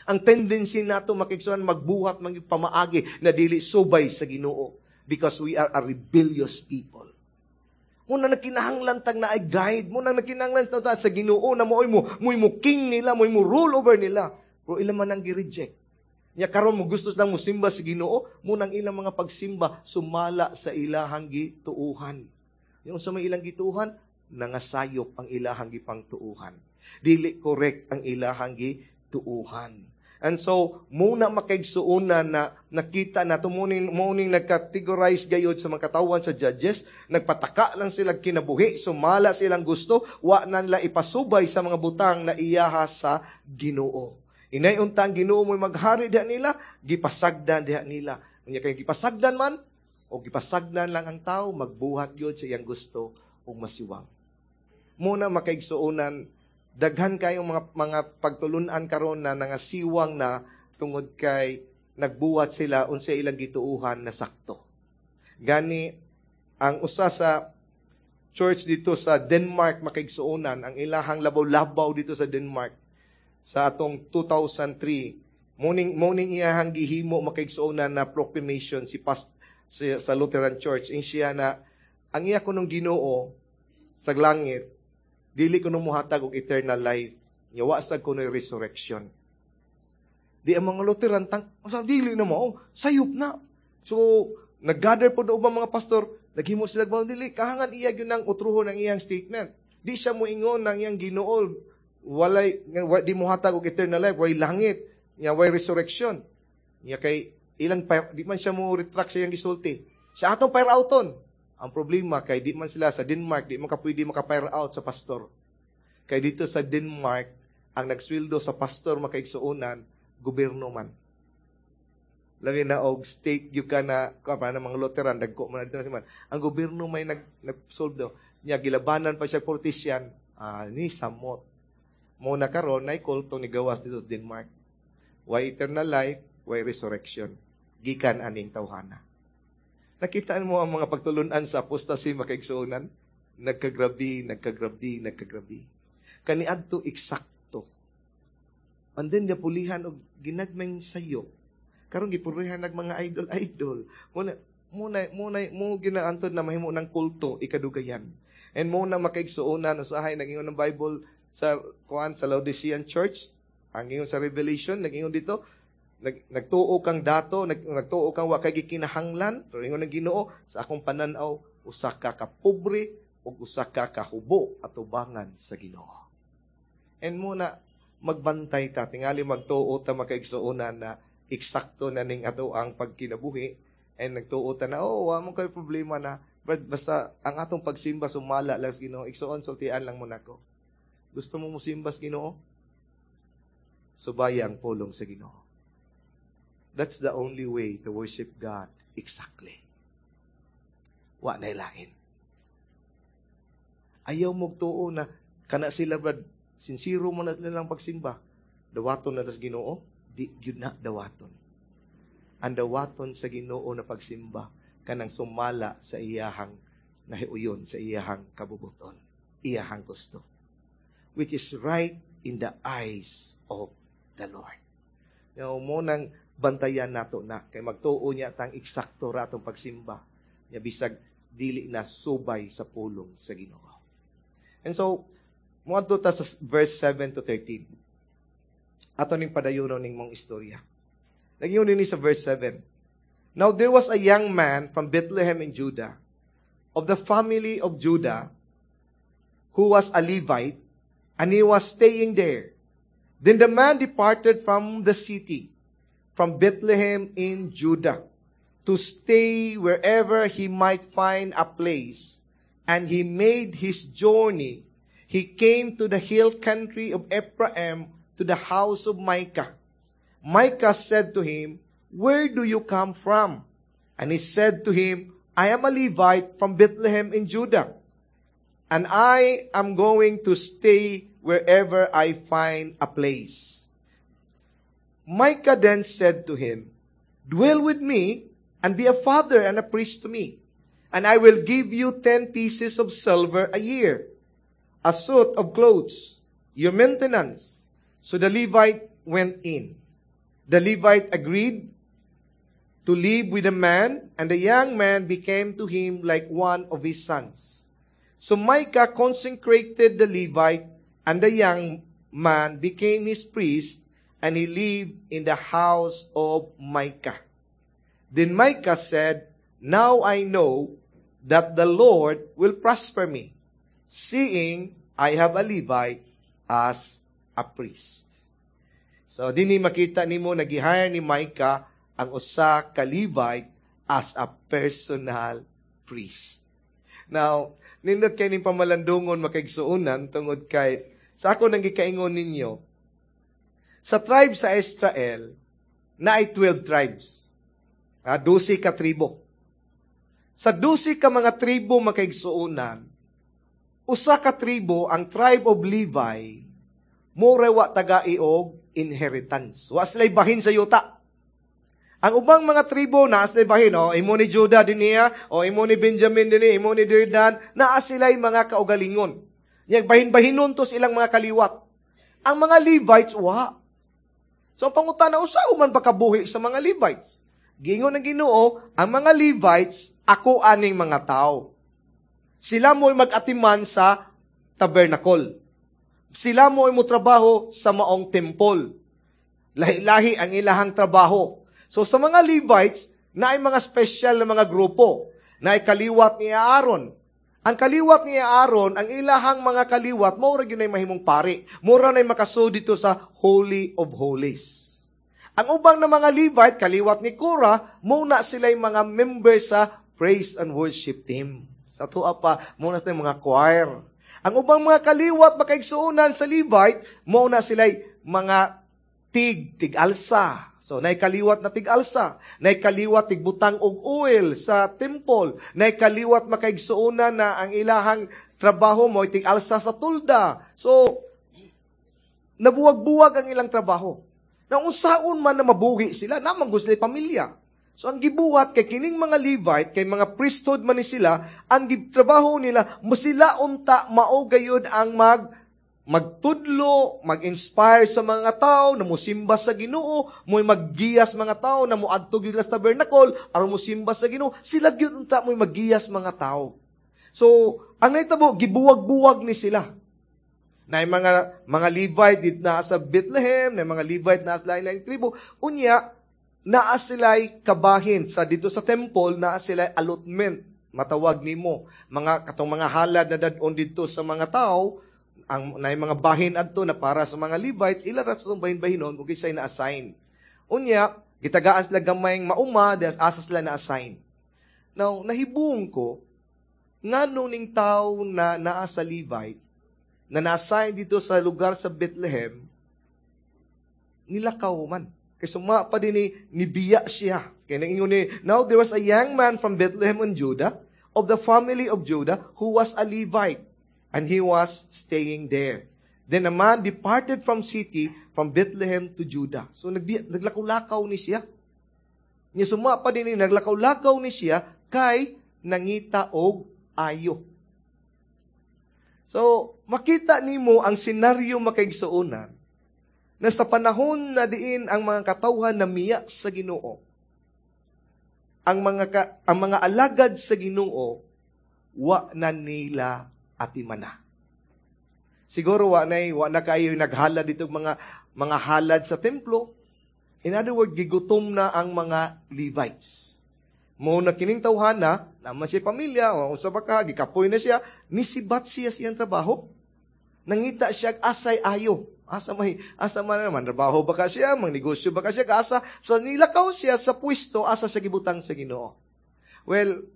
Ang tendency nato makaigsuonan magbuhat man gyud pamaagi na dili subay sa Ginoo because we are a rebellious people. Muna nagkinahanglan tag naay guide, muna nagkinahanglan ta sa Ginoo na mo'y mo, mo'y mo king nila, mo'y mo rule over nila. Pero ilang man ang gi-reject. Nya karon mo gusto lang mosimba sa Ginoo, munang ilang mga pagsimba sumala sa ilahang gituuhan. Yung sa may ilang gituuhan, nangasayop ang ilahang gipangtuuhan. Dili correct ang ilahang gituuhan. And so, muna makaigsuonan na nakita na tumuning muning nagcategorize gayod sa mga katawan sa judges, nagpataka lang sila kinabuhi, sumala silang gusto, wa na nila ipasubay sa mga butang na iyaha sa Ginoo. Inay unta ang Ginoo mo'y maghari diha nila, gipasagdan diha nila. Unya kay gipasagdan man o gipasagdan lang ang tao, magbuhat gyud sa iyang gusto ug masiwang. Muna makaigsuonan daghan kayong mga mga pagtulunan karon na nangasiwang na tungod kay nagbuhat sila unsa ilang gituuhan na sakto. Gani ang usa sa church dito sa Denmark makaigsuonan ang ilahang labaw-labaw dito sa Denmark sa atong two thousand three muning muning iyahang gihimo makaigsuonan na proclamation si past si, sa Lutheran Church in siya na ang iya kunong Ginoo sa langit dili kuno mohatag og eternal life nya wa sad kuno'y resurrection. Di ang mga Lutheran tang sa dili na mo sayop na. So naggather po do mga pastor, naghimo sila ba dili kahangan iya gyud nang utruhon ang iyang statement. Di siya moingon ng iyang Ginoo walay wa, di mohatag og eternal life, way langit nya way resurrection. Nya kay ilang di man siya mo retract sa iyang gisulti. Siya atong fire outon. Ang problema kay di man sila sa Denmark, di man ka pwede maka-fire out sa pastor. Kay dito sa Denmark, ang nagsweldo sa pastor makaigsuonan, gobyerno man. Labi na og state gyud ka na ka pa mga Lutheran dagko man dito man. Ang gobyerno may nag nag-solve daw. Nya gilabanan pa siya politician, ah, ni samot. Mo na karon nay kulto ni gawas dito sa Denmark. Why eternal life, why resurrection. Gikan aning tawhana. Nakita mo ang mga pagtulunan sa apostasy makaigsuonan? Nagkagrabi, nagkagrabi, nagkagrabi. Kaniadto eksakto. And then napulihan og ginagmay sayo. Karon gipulihan nag mga idol-idol. Muna muna muna mo ginaantod na mahimo ng kulto ikadugayan. And mo na makaigsuonan usahay nag-ingon ng Bible sa kuan sa Laodicean Church, ang ingon sa Revelation, nag-ingon dito, nag, nagtuo kang dato, nag, nagtuo kang wa kay gikinahanglan, pero ingon ng Ginoo, sa akong pananaw, usa ka ka pobre ug usa ka kahubo atubangan sa Ginoo. And muna magbantay ta, tingali magtuo ta makaigsuonan na eksakto na ning ato ang pagkinabuhi and nagtuo ta na oh wa mo kay problema na but basta ang atong pagsimba sumala lang sa Ginoo. Igsuon, sultian lang mo nako. Gusto mo mosimba sa Ginoo? Subaya ang pulong sa Ginoo. That's the only way to worship God exactly. Wa na lain. Ayaw mo tuo na kana sila brad, sincero mo na nilang pagsimba. Dawaton na tas Ginoo, di gyud na dawaton. Ang dawaton sa Ginoo na pagsimba kanang sumala sa iyahang nahiuyon, sa iyahang kabubuton, iyahang gusto. Which is right in the eyes of the Lord. Now, mo nang bantayan nato na kay magtuo niya tang eksakto ra atong pagsimba nya bisag dili na subay sa pulong sa Ginoo. And so moadto ta sa verse seven to thirteen. Ato ning padayonon ning mong istorya. Nagyun ni sa verse seven. Now there was a young man from Bethlehem in Judah, of the family of Judah, who was a Levite, and he was staying there. Then the man departed from the city from Bethlehem in Judah to stay wherever he might find a place. And he made his journey. He came to the hill country of Ephraim to the house of Micah. Micah said to him, Where do you come from? And he said to him, I am a Levite from Bethlehem in Judah. And I am going to stay wherever I find a place. Micah then said to him, Dwell with me and be a father and a priest to me. And I will give you ten pieces of silver a year, a suit of clothes, your maintenance. So the Levite went in. The Levite agreed to live with the man, and the young man became to him like one of his sons. So Micah consecrated the Levite, and the young man became his priest, and he lived in the house of Micah. Then Micah said, Now I know that the Lord will prosper me, seeing I have a Levite as a priest. So, dinhi makita nimo na gi-hire ni Micah ang usa ka Levite as a personal priest. Now, nindot kay ning pamalandungon makaigsuonan tungod kay sa ako nang gikaingon ninyo, sa tribe sa Israel, naay twelve tribes. Ah, dose ka tribo. Sa dose ka mga tribo makaigsuonan, usa ka tribo, ang tribe of Levi, mura wa tagai og inheritance. Wa sila'y bahin sa yuta. Ang ubang mga tribo naa sila'y bahin, oh, imo ni Judah dinhiya, o imo ni Benjamin dinhi, imo ni Dan, naa sila'y mga kaugalingon. Yang bahin-bahinon to silang mga kaliwat. Ang mga Levites, wa. So, ang pangutana, unsa man pakabuhi sa mga Levites? Giingon ng Ginoo, ang mga Levites, ako aning mga tao. Sila mo'y mag-atiman sa tabernacle. Sila mo'y motrabaho sa maong temple. Lahi-lahi ang ilahang trabaho. So sa mga Levites, naay mga special na mga grupo. Naay kaliwat ni Aaron. Ang kaliwat ni Aaron, ang ilahang mga kaliwat, mao ra gyud mahimong pari. Mura na'y makasud dito sa Holy of Holies. Ang ubang na mga Levite, kaliwat ni Korah, mao na sila'y mga member sa praise and worship team. Sa tuwa pa, mao na sila mga choir. Ang ubang mga kaliwat makaigsuonan sa Levite, mao na sila'y mga tig, tig-alsa. So, naay kaliwat na tig-alsa, naay kaliwat tigbutang og oil sa temple, naay kaliwat makaigsuonan na ang ilahang trabaho mo tig-alsa sa tulda. So, nabuwag-buwag ang ilang trabaho. Na unsaon man na mabuhi sila, naman gusto sila pamilya. So, ang gibuhat kay kining mga Levite, kay mga priesthood man ni sila, ang trabaho nila, mo sila unta mao gayud ang mag magtudlo, mag-inspire sa mga tao na musimba sa Ginoo, mo'y maggiyas mga tao na moadto gyud sa tabernacle aron musimba sa Ginoo, sila gyud unta mo'y maggiyas mga tao. So, ang nahitabo, gibuwag-buwag ni sila. Na mga mga Levite dito na sa Bethlehem, na mga Levite na sa lain-laing tribo, unya naa sila'y kabahin sa dito sa temple, naa sila'y allotment, matawag nimo mga katong mga halad na dad-on dito sa mga tao, ang naay mga bahin adto na para sa mga Levite, ila ra sa bahin-bahinon kung kinsay na-assign. Unya, gitagaan sila gamayng mauma, des asa sila na-assign. Now, nahibong ko, ngano ning tao na naa sa Levite, na na-assign dito sa lugar sa Bethlehem, nilakaw man. Kay suma pa din ni, nibiya siya. Kaya naingon ni, now there was a young man from Bethlehem in Judah, of the family of Judah, who was a Levite, and he was staying there. Then a man departed from city, from Bethlehem to Judah. So nagbi, naglakaw-lakaw ni siya. Nya suma pa din ni, naglakaw-lakaw ni siya, kay nangita og ayo. So, makita nimo ang senaryo makaigsuonan na sa panahon na diin ang mga katawhan na miya sa Ginoo, ang mga ka, ang mga alagad sa Ginoo wa na nila atimana. Siguro wa na wa na kayo naghalad dito mga mga halad sa templo. In other words, gigutom na ang mga Levites. Mo na kining tawhana, naman siya pamilya, o unsa ba ka, gikapoy na siya, nisibat siya siyang trabaho. Nangita siya asay ayo. Asa may asa man naman trabaho ba ka siya, mangnegosyo ba ka siya, asa so nilakaw siya sa pwesto asa siya gibutang sa Ginoo. Well,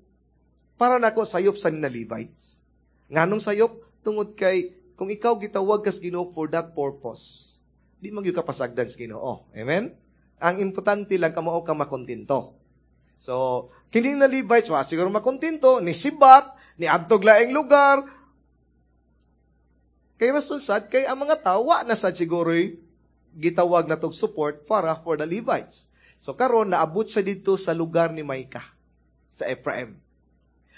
para nako sayop sa ni Levites. Nganong sayop? Tungod kay kung ikaw gitawag kas Ginoo for that purpose, di man gyud ka pasagdan sa Ginoo. Amen? Ang importante lang kamao ka makontento. So, kini na Levites, wa siguro makontento, ni sibat, ni adtog laing lugar. Kay rason sad, kay ang mga tao, wa na sad siguro gitawag na tog support para for the Levites. So karon naabot siya dito sa lugar ni Micah, sa Ephraim.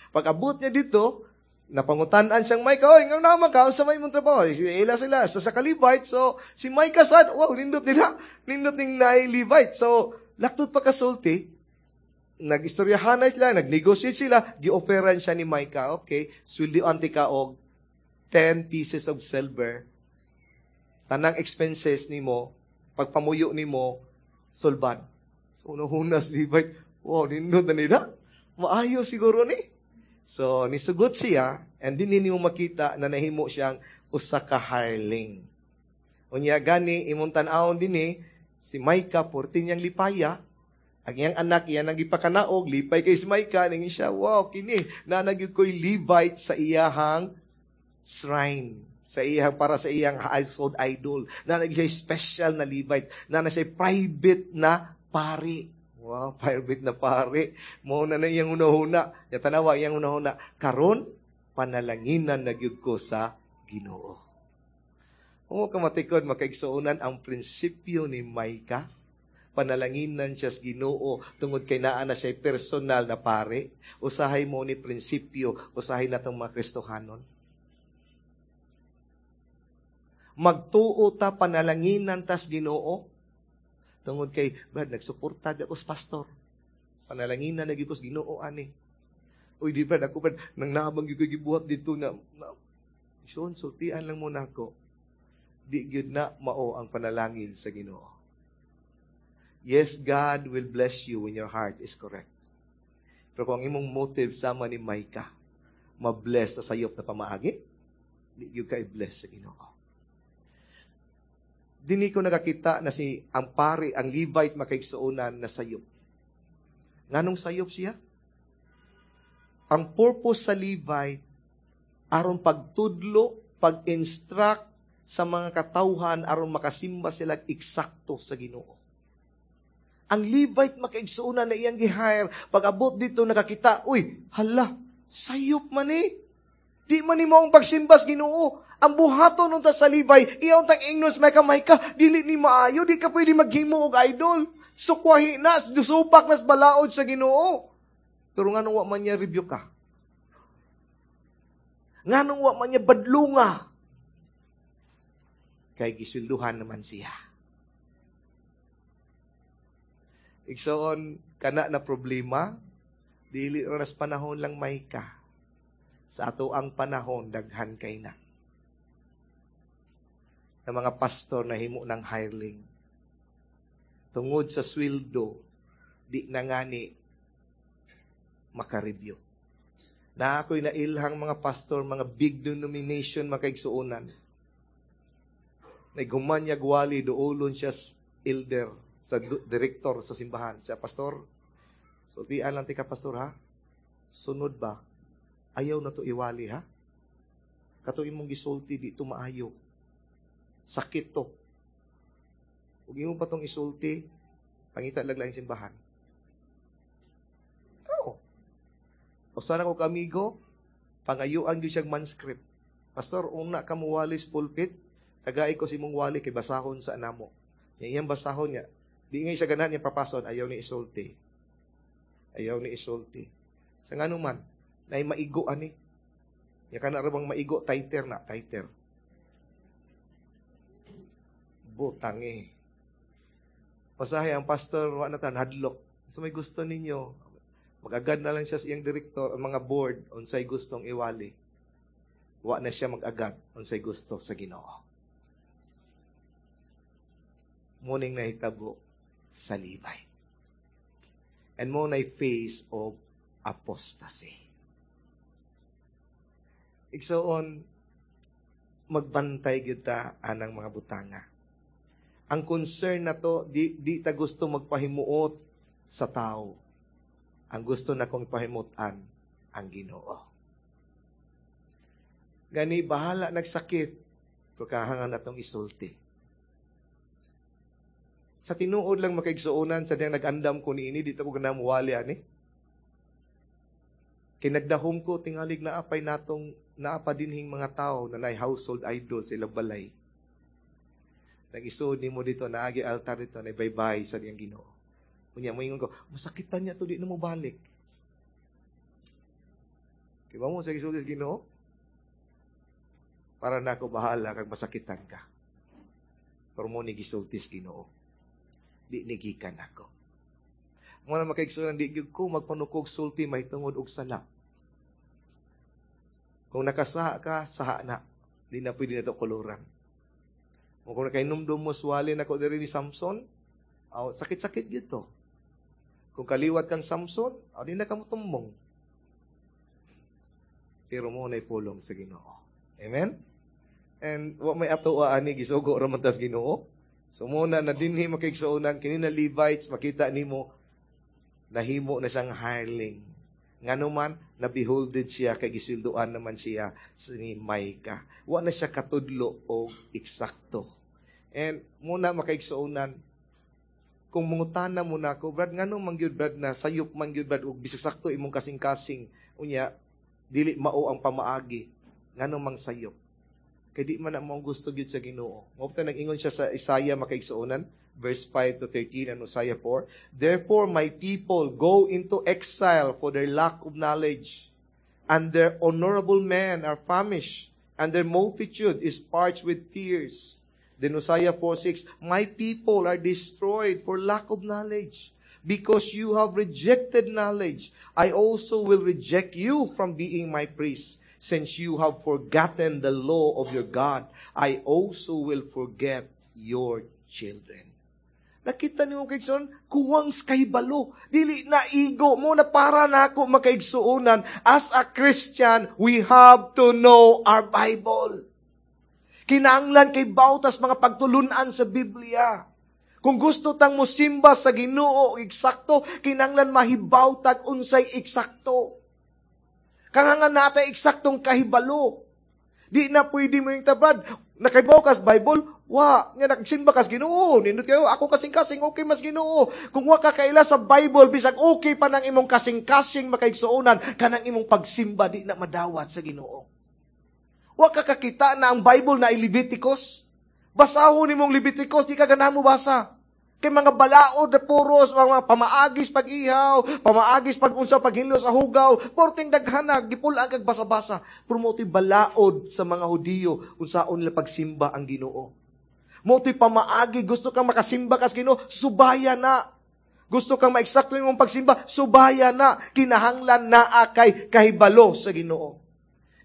Pag abot niya dito, napangutan-an siyang Micah, oy, nga naman ka, sa may mong trabaho. Ila sila, so sa ka-Levite, so si Micah sad, wow, nindot nila, nindot ning naay Levite. So, laktod pa kasulti, nag-istoryahan na sila, nag-negotiate sila, gi-offeran siya ni Micah, okay, sweldoan tika og ten pieces of silver, tanang expenses nimo, pagpamuyo nimo, sulbad. So, nahunas Levite, wow, nindot na nila. Maayo siguro ni. So, nisugot siya, and din ninyo makita na nahimo siyang usa ka hireling. Unya gani, imong tan-awon dinhi, si Micah, purti niyang lipaya, ang iyang anak, iyang nagipakanaog, lipay kay si Micah, ningin siya, wow, kini, naa na gyud ko'y Levite sa iyahang shrine, sa iyang, para sa iyang household idol. Naa na siya special na Levite, naa na siya private na pari. Wow, private na pari. Mao na na iyang hunahuna. Ya tanawa iyang hunahuna. Karon, panalanginan na gyud ko sa Ginoo. Kung ka matikod, makaigsuonan ang prinsipyo ni Micah. Panalanginan siya sa Ginoo tungod kay naa na siya personal na pare. Usahay mo ni prinsipyo, usahay na itong mga Kristohanon. Magtuo ta panalanginan tas Ginoo. Tungod kay, Brad, nagsuporta ako sa pastor. Panalanginan na gyud ko sa Ginoo ani. Uy, di Brad, ako Brad, nang naabang gyud ko gibuhat dito na, na ison, sultian lang muna ako. Di gyud na mao ang panalangin sa Ginoo. Yes, God will bless you when your heart is correct. Pero kung ang imong motive sama ni Micah, mabless sa sayop na pamaagi, di gyud ka i-bless sa Ginoo. Dini ko nakakita na si ang pari, ang Levite makaigsuonan na sayop. Nganong sayop siya? Ang purpose sa Levite, aron pagtudlo, pag-instruct sa mga katawhan, aron makasimba sila eksakto sa Ginoo. Ang Levite makaigsuonan na iyang gi-hire, pag abot dito nakakita, uy, hala, sayop man eh. Di man ni mo ang pagsimba sa Ginoo. Ang buhaton unta sa Levi, iyaw tang ingnon sa Micah, Micah, dili ni maayo, di ka pwede maghimo og idol. Sukwahi na, supak na balaod sa Ginoo. Pero nganong wa man niya review ka? Nganong wa man niya badlunga? Kay giswelduhan naman siya. Igsoon, kana na problema, dili ra nas panahon lang Micah. Sa ato ang panahon, daghan kay na. Na mga pastor na himo ng hireling. Tungod sa sweldo, di na ngani makareview. Na ako'y nailhang mga pastor, mga big denomination, makaigsuonan. Naigumanya gwali, duolon siya elder, sa director sa simbahan. Siya, pastor, sultian lang tika, pastor, ha? Sunod ba? Ayaw na to iwali, ha? Kato imong gisulti, di to maayo. Sakit to. Ug imo pa tong isulti, pangita lang lang simbahan. Oo. O sana ko kamigo, pangayuan gyud siyang manuscript. Pastor, una ka mo wali sa pulpit, tagay ko si imong wali kay basahon sa anamo. Yang iyang basahon niya, di ngay siya ganahan niyang papason, ayaw ni isulti. Ayaw ni isulti. Sa nga numan, nay maigo ani. Ya kana ra bang maigo, tighter na, tighter. Butang eh. Pasahe ang pastor, wa na tan, hadlok. So may gusto ninyo, mag-agad na lang siya sa iyang director, ang mga board, unsay gustong iwali. Wa na siya mag-agad, unsay gusto sa Ginoo. Muning nahitabo sa Levite. And mo na face of apostasy. Igsoon, Magbantay kita anang mga butanga. Ang concern na to, di, di ta gusto magpahimuot sa tao. Ang gusto na kong ipahimutan, ang Ginoo. Gani, bahala nagsakit, pero kahangan natong isulti. Sa tinuod lang makaigsuonan, sa diyang nag-andam ko niini, dito ko ganang muwali, ani. Kinagdahom ko, tingalig na apay natong naapa dinhing mga tao na nay household idol sa ilang balay. Nag-isuod nimo dito, naagi altar dito, na baybay sa diyang Ginoo. Unya moingon ko, masakitan niya to, di na mo balik. Kaya mo sa gisulti sa Ginoo? Para na ako bahala kag masakitan ka. Pero mo ni gisulti sa Ginoo. Di nigikan ako. Mo na makaigsuonan, di gyud ko magpanukog sulti mahitungod og sala. Kung nakasaha ka, saha na. Di na pwede na ito kuluran. O kung nakainumdum mo, swali na ko diri ni Samson, aw, sakit-sakit gito. Kung kaliwat kang Samson, aw, di na ka motumbong. Pero mo na'y pulong sa Ginoo. Amen? And wa may ato ani gisugo ra man tas Ginoo. So muna na dinhi makaigsuonan kini na Levites makita nimo nahimo na siyang hireling. Ngano man nabeholded siya kay gisilduan naman siya ni Micah. Wa na siya katudlo og eksakto. And muna makaigsuonan kung mangutana mo na ako, Brad, ngano man gyud Brad na sayop man gyud Brad og bisag sakto imong kasing-kasing unya dili mao ang pamaagi ngano mang sayop. Kay di man na mo gusto gyud sa Ginoo. Mao pa nag-ingon siya sa Isaiah makaigsuonan verse five to thirteen and Isaiah four. Therefore my people go into exile for their lack of knowledge, and their honorable men are famished, and their multitude is parched with tears. Then Isaiah four six, my people are destroyed for lack of knowledge. Because you have rejected knowledge, I also will reject you from being my priest. Since you have forgotten the law of your God, I also will forget your children. Nakita niyo kay Son, kuwang kahibalo. Dili na ego mo na para na ako makaigsuonan. As a Christian, we have to know our Bible. Kinahanglan kay bautas mga pagtulunan sa Biblia. Kung gusto tang mosimba sa Ginoo eksakto, kinahanglan mahibaw tag unsay eksakto. Kangangan natay eksaktong kahibalo. Di na pwede mo yung tabad. Nakaibaw kas Bible, wa, nga nagsimba kas Ginoo. Nindot kayo, ako kasing-kasing, okay mas Ginoo. Kung wa ka kaila sa Bible, bisag okay pa nang imong kasing-kasing makaigsuonan, kanang imong pagsimba di na madawat sa Ginoo. Wa ka kakita na ang Bible na Leviticus. Basahon nimong Leviticus, di ka ganahan mo basa. Kay mga balaod na puros, mga pamaagis pag-ihaw, pamaagis pag-unsa, paghinlo sa hugaw, porting daghanag, gipulaan kag basa-basa. Pero mo balaod sa mga Hudiyo, unsaon nila pagsimba ang Ginoo. Mo pamaagi, gusto kang makasimba kas Ginoo, subaya na. Gusto kang maeksakto imong pagsimba, subaya na. Kinahanglan naa kay kahibalo sa Ginoo.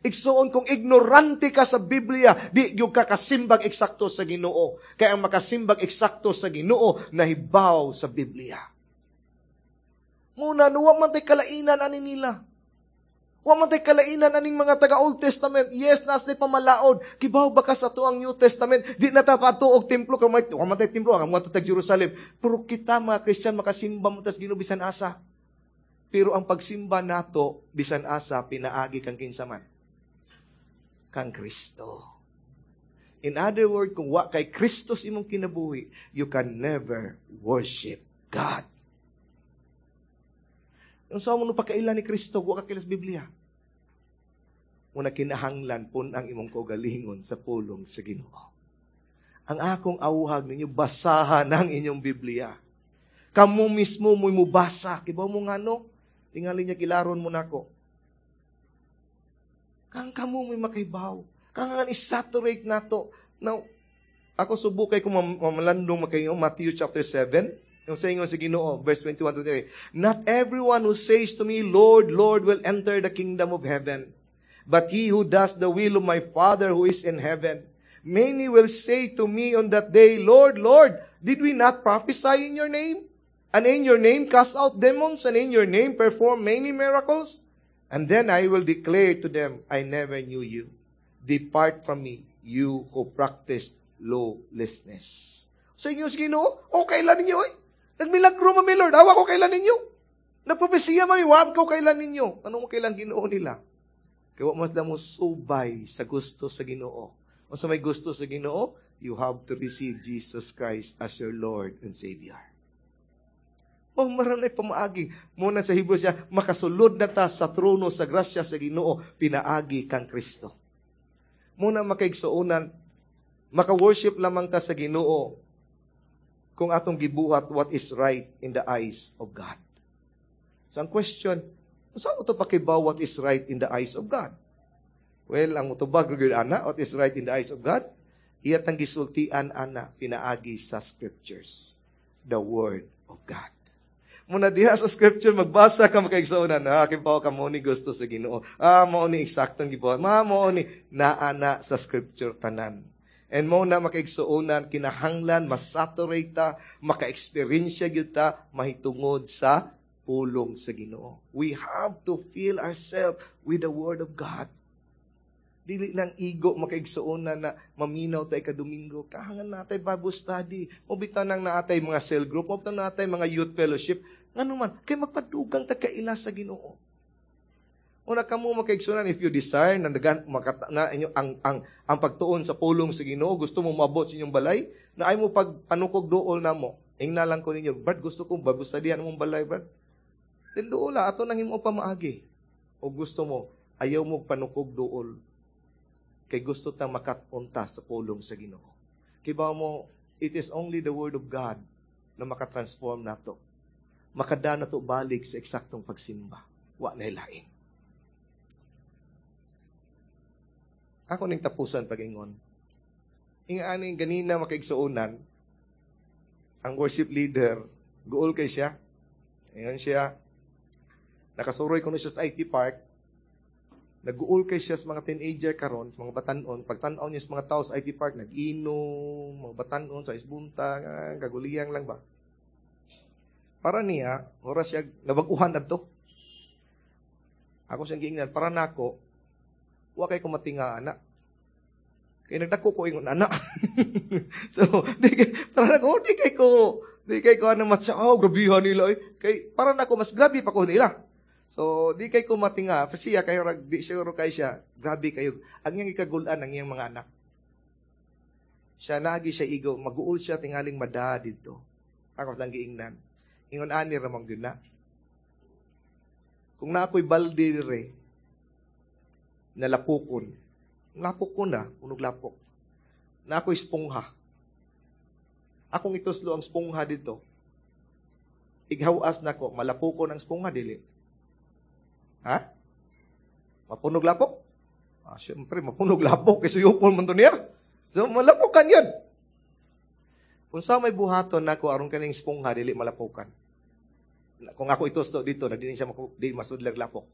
Igsuon kung ignorante ka sa Biblia, di gyud ka kasimbag eksakto sa Ginoo. Kaya ang makasimbag eksakto sa Ginoo nahibaw sa Biblia. Muna, nuwa man tay kalainan ani nila. Wa man tay kalainan aning mga taga Old Testament. Yes, nas ni pamalaod. Kibaw ba ka sa tuang New Testament? Di na ta padto og templo kay may wa man tay templo ang mga tag Jerusalem. Pero kita mga Kristiyan makasimba mo tas Ginoo bisan asa. Pero ang pagsimba nato bisan asa pinaagi kang kinsa man? Kang Kristo. In other words, kung wa kay Kristo sa imong kinabuhi, you can never worship God. Ang sa mo no pakaila ni Kristo, wa ka kaila sa Biblia. Muna kinahanglan pun ang imong kaugalingon sa pulong sa Ginoo. Ang akong awhag ninyo, basahan ang inyong Biblia. Kamo mismo mo'y mubasa. Kibaw mo nga no? Tingali niya kilaron mo nako. Kang kamo mo'y makaibaw. Kang nga isaturate nato. Now, ako subukay kung mamalandong makaingon, Matthew chapter seven, yung sa ingon sa Ginoo, verse twenty-one to twenty-three, Not everyone who says to me, Lord, Lord, will enter the kingdom of heaven, but he who does the will of my Father who is in heaven. Many will say to me on that day, Lord, Lord, did we not prophesy in your name? And in your name cast out demons, and in your name perform many miracles? And then I will declare to them, I never knew you. Depart from me, you who practice lawlessness. Sa inyo sa Ginoo, okay lang ninyo eh. Nagmilagro man mi Lord, awa ko kailan ninyo. Nagpropesiya man mi, wa ko kailan ninyo. Ano mo kailan Ginoo nila? Kaya wa mo mo subay sa gusto sa Ginoo. O sa may gusto sa Ginoo, you have to receive Jesus Christ as your Lord and Savior. Oh, maranay pamaagi. Muna sa Hebrews siya, makasulod na ta sa trono sa grasya sa Ginoo, pinaagi kang Kristo. Muna makaigsuonan, maka-worship lamang ta sa Ginoo kung atong gibuhat what is right in the eyes of God. So ang question, saan mo to pakibaw what is right in the eyes of God? Well, ang mutubag gyud ana, what is right in the eyes of God? Iya tang gisultian ana pinaagi sa scriptures, the word of God. Muna diha sa scripture magbasa ka makaigsuonan, ah kibaw ka mo ni gusto sa Ginoo. Ah mao ni eksaktong gibuhat. Ma mao ni naa na sa scripture tanan. And mo na makaigsuonan kinahanglan masaturate ta, maka-experience gyud ta mahitungod sa pulong sa Ginoo. We have to fill ourselves with the word of God. Dili lang igo makaigsuonan na maminaw tayo ka Domingo. Kahangan natay Bible study. Mobita nang naatay mga cell group, mobita natay mga youth fellowship. Ngano man, kay magpadugang ta kaila sa Ginoo. Una kamo makaigsuonan if you desire na dagan makata, na inyo ang ang ang pagtuon sa pulong sa Ginoo, gusto mo maabot sa inyong balay, na ay mo pag panukog duol namo. Ingna lang ko ninyo, Brad, gusto kong Bible study mong balay, Brad. Then duol ato nang himo pamaagi. O gusto mo, ayaw mo panukog duol. Kay gusto tang makapunta sa pulong sa Ginoo. Kay ba mo, it is only the word of God na makatransform nato. Makada na to balik sa eksaktong pagsimba. Wa na lain. Ako ning tapusan pag-ingon. Inga aning ganina makaigsuonan, ang worship leader, guol kay siya. Ingon siya, nakasuroy ko siya sa IT Park, nag-uul kay siya sa mga teenager karon, sa mga batanon, pagtan-aw niya sa mga tao sa IT Park, nag-inom, mga batanon sa isbunta, kaguliyang lang ba. Para niya, oras siya, nabag-uhan adto. Ako siyang giingnan, para nako, wa kay kumatinga ana. Kay nagdako ko ingon ana. so, di kay, para nako, di kay ko, di kay ko ano matsa, oh, grabihan nila eh. Kay, para nako, mas grabe pa ko nila. So, di kay kumatinga, siya kayo, di siguro kay siya, grabe kayo. Ang iyang ikagulan ang iyang mga anak. Siya naagi siya igo, maguul siya tingaling mada dito. Ako lang giingnan. Ingon ani ramang gyud na. Kung na ako'y balde dire, nalapukon. Lapok ko na, unog lapok. Na ako'y spongha. Akong ituslo ang spongha dito. Ighawas na ko, malapukon ang spongha, dili. Ha? Mapunog lapok? Ah, siyempre, mapunog lapok. Kasi suyupon man to niya. So, malapukan yun. Kung sa may buhaton nako aron kaning spongha, dili malapukan. Kung ako ituslo dito, na dili siya maku, di masudlag lapok.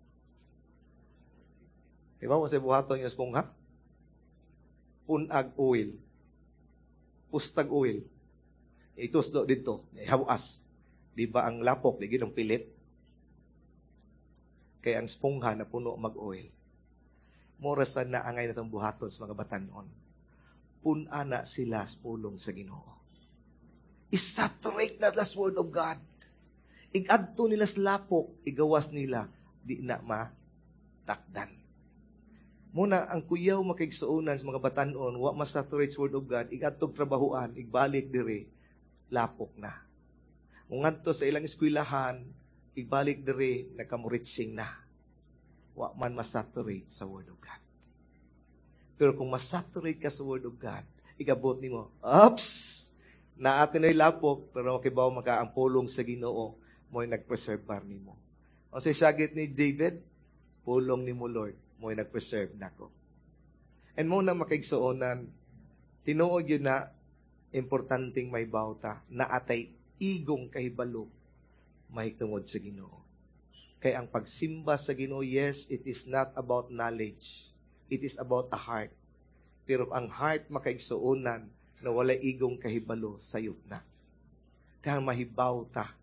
Di ba mo sa buhaton yung spongha? Punag oil. Pustag oil. Ituslo dito, hawas. Di ba ang lapok, di ginong pilit? Kaya ang spongha na puno mag-oil. Mora sa naangay na itong buhaton sa mga batanon. Puna na sila sa pulong sa Ginoo. I-saturate na the word of God. Igadto nila sa lapok, igawas nila, di na matakdan. Muna, ang kuyaw makigsuonan sa mga batanon, wa masaturate sa word of God, igadtog trabahuan, igbalik dire, lapok na. Ngadto sa ilang eskwelahan, igbalik dire, nagkamuritsing na. Wa man masaturate sa word of God. Pero kung masaturate ka sa word of God, igabot nimo, oops! Naate na'y lapok, pero makibaw maka ang pulong sa Ginoo, mo'y nag-preserve bar nimo. O sa syagit ni David, pulong nimo Lord, mo'y nag-preserve nako. And mo na makaigsuonan, tinuod yun na, importanteng may bauta, na atay igong kahibalo, mahitungod sa Ginoo. Kaya ang pagsimba sa Ginoo, yes, it is not about knowledge. It is about a heart. Pero ang heart makaigsuonan, na wala igong kahibalo, sayop na. Kaya mahibaw ta,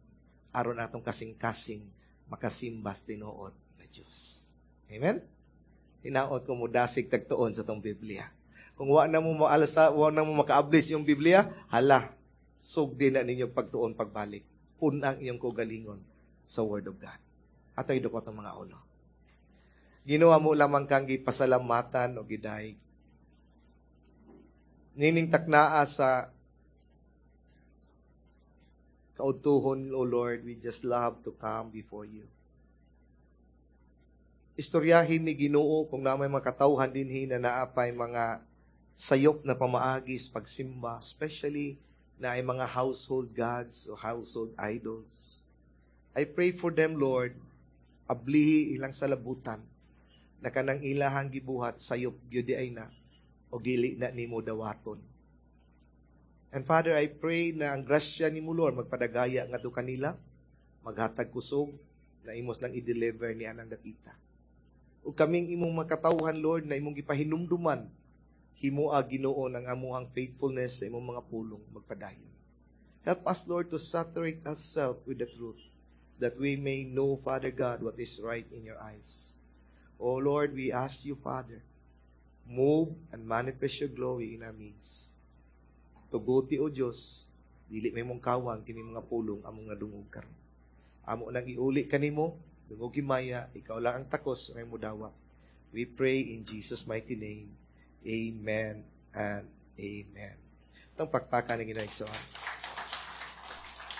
aron atong kasing-kasing, makasimbas tinuod na Diyos. Amen? Hinaot ko mo dasig tagtuon sa tong Biblia. Kung wa na mo maalsa, wa na mo makaabli sa iyong Biblia, hala, sugdi na ninyo pagtuon pagbalik. Pun-a ang iyong kaugalingon sa Word of God. Ato idukot ang mga ulo. Ginoo amo lamang kang gipasalamatan o gidayeg. Nining taknaa sa kaudtuhon, O Lord, we just love to come before you. Istoryahin mi Ginoo kung naa may mga katawhan dinhi na naapay mga sayop na pamaagi sa pagsimba, especially naay mga household gods o household idols. I pray for them, Lord, ablihi ilang salabutan na kanang ilahang gibuhat sayop gyud ay na o dili na nimo dawaton. And Father, I pray na ang grasya nimo Lord magpadagaya ngadto kanila, maghatag kusog na imos lang i-deliver ni anang dapita. Ug kaming imong makatawhan Lord na imong gipahinumduman himoa Ginoo ng amuang faithfulness sa imong mga pulong magpadayon. Help us Lord to saturate ourselves with the truth that we may know Father God what is right in your eyes. O Lord, we ask you Father, move and manifest your glory in our midst. Tuguti o Diyos, dili may mong kawang kini mga pulong among nadungog karon. Amo nang iuli kanimo, dungog himaya, ikaw lang ang takos nga mo dawa. We pray in Jesus' mighty name. Amen and amen. Itong pakpakan ng Ginoo.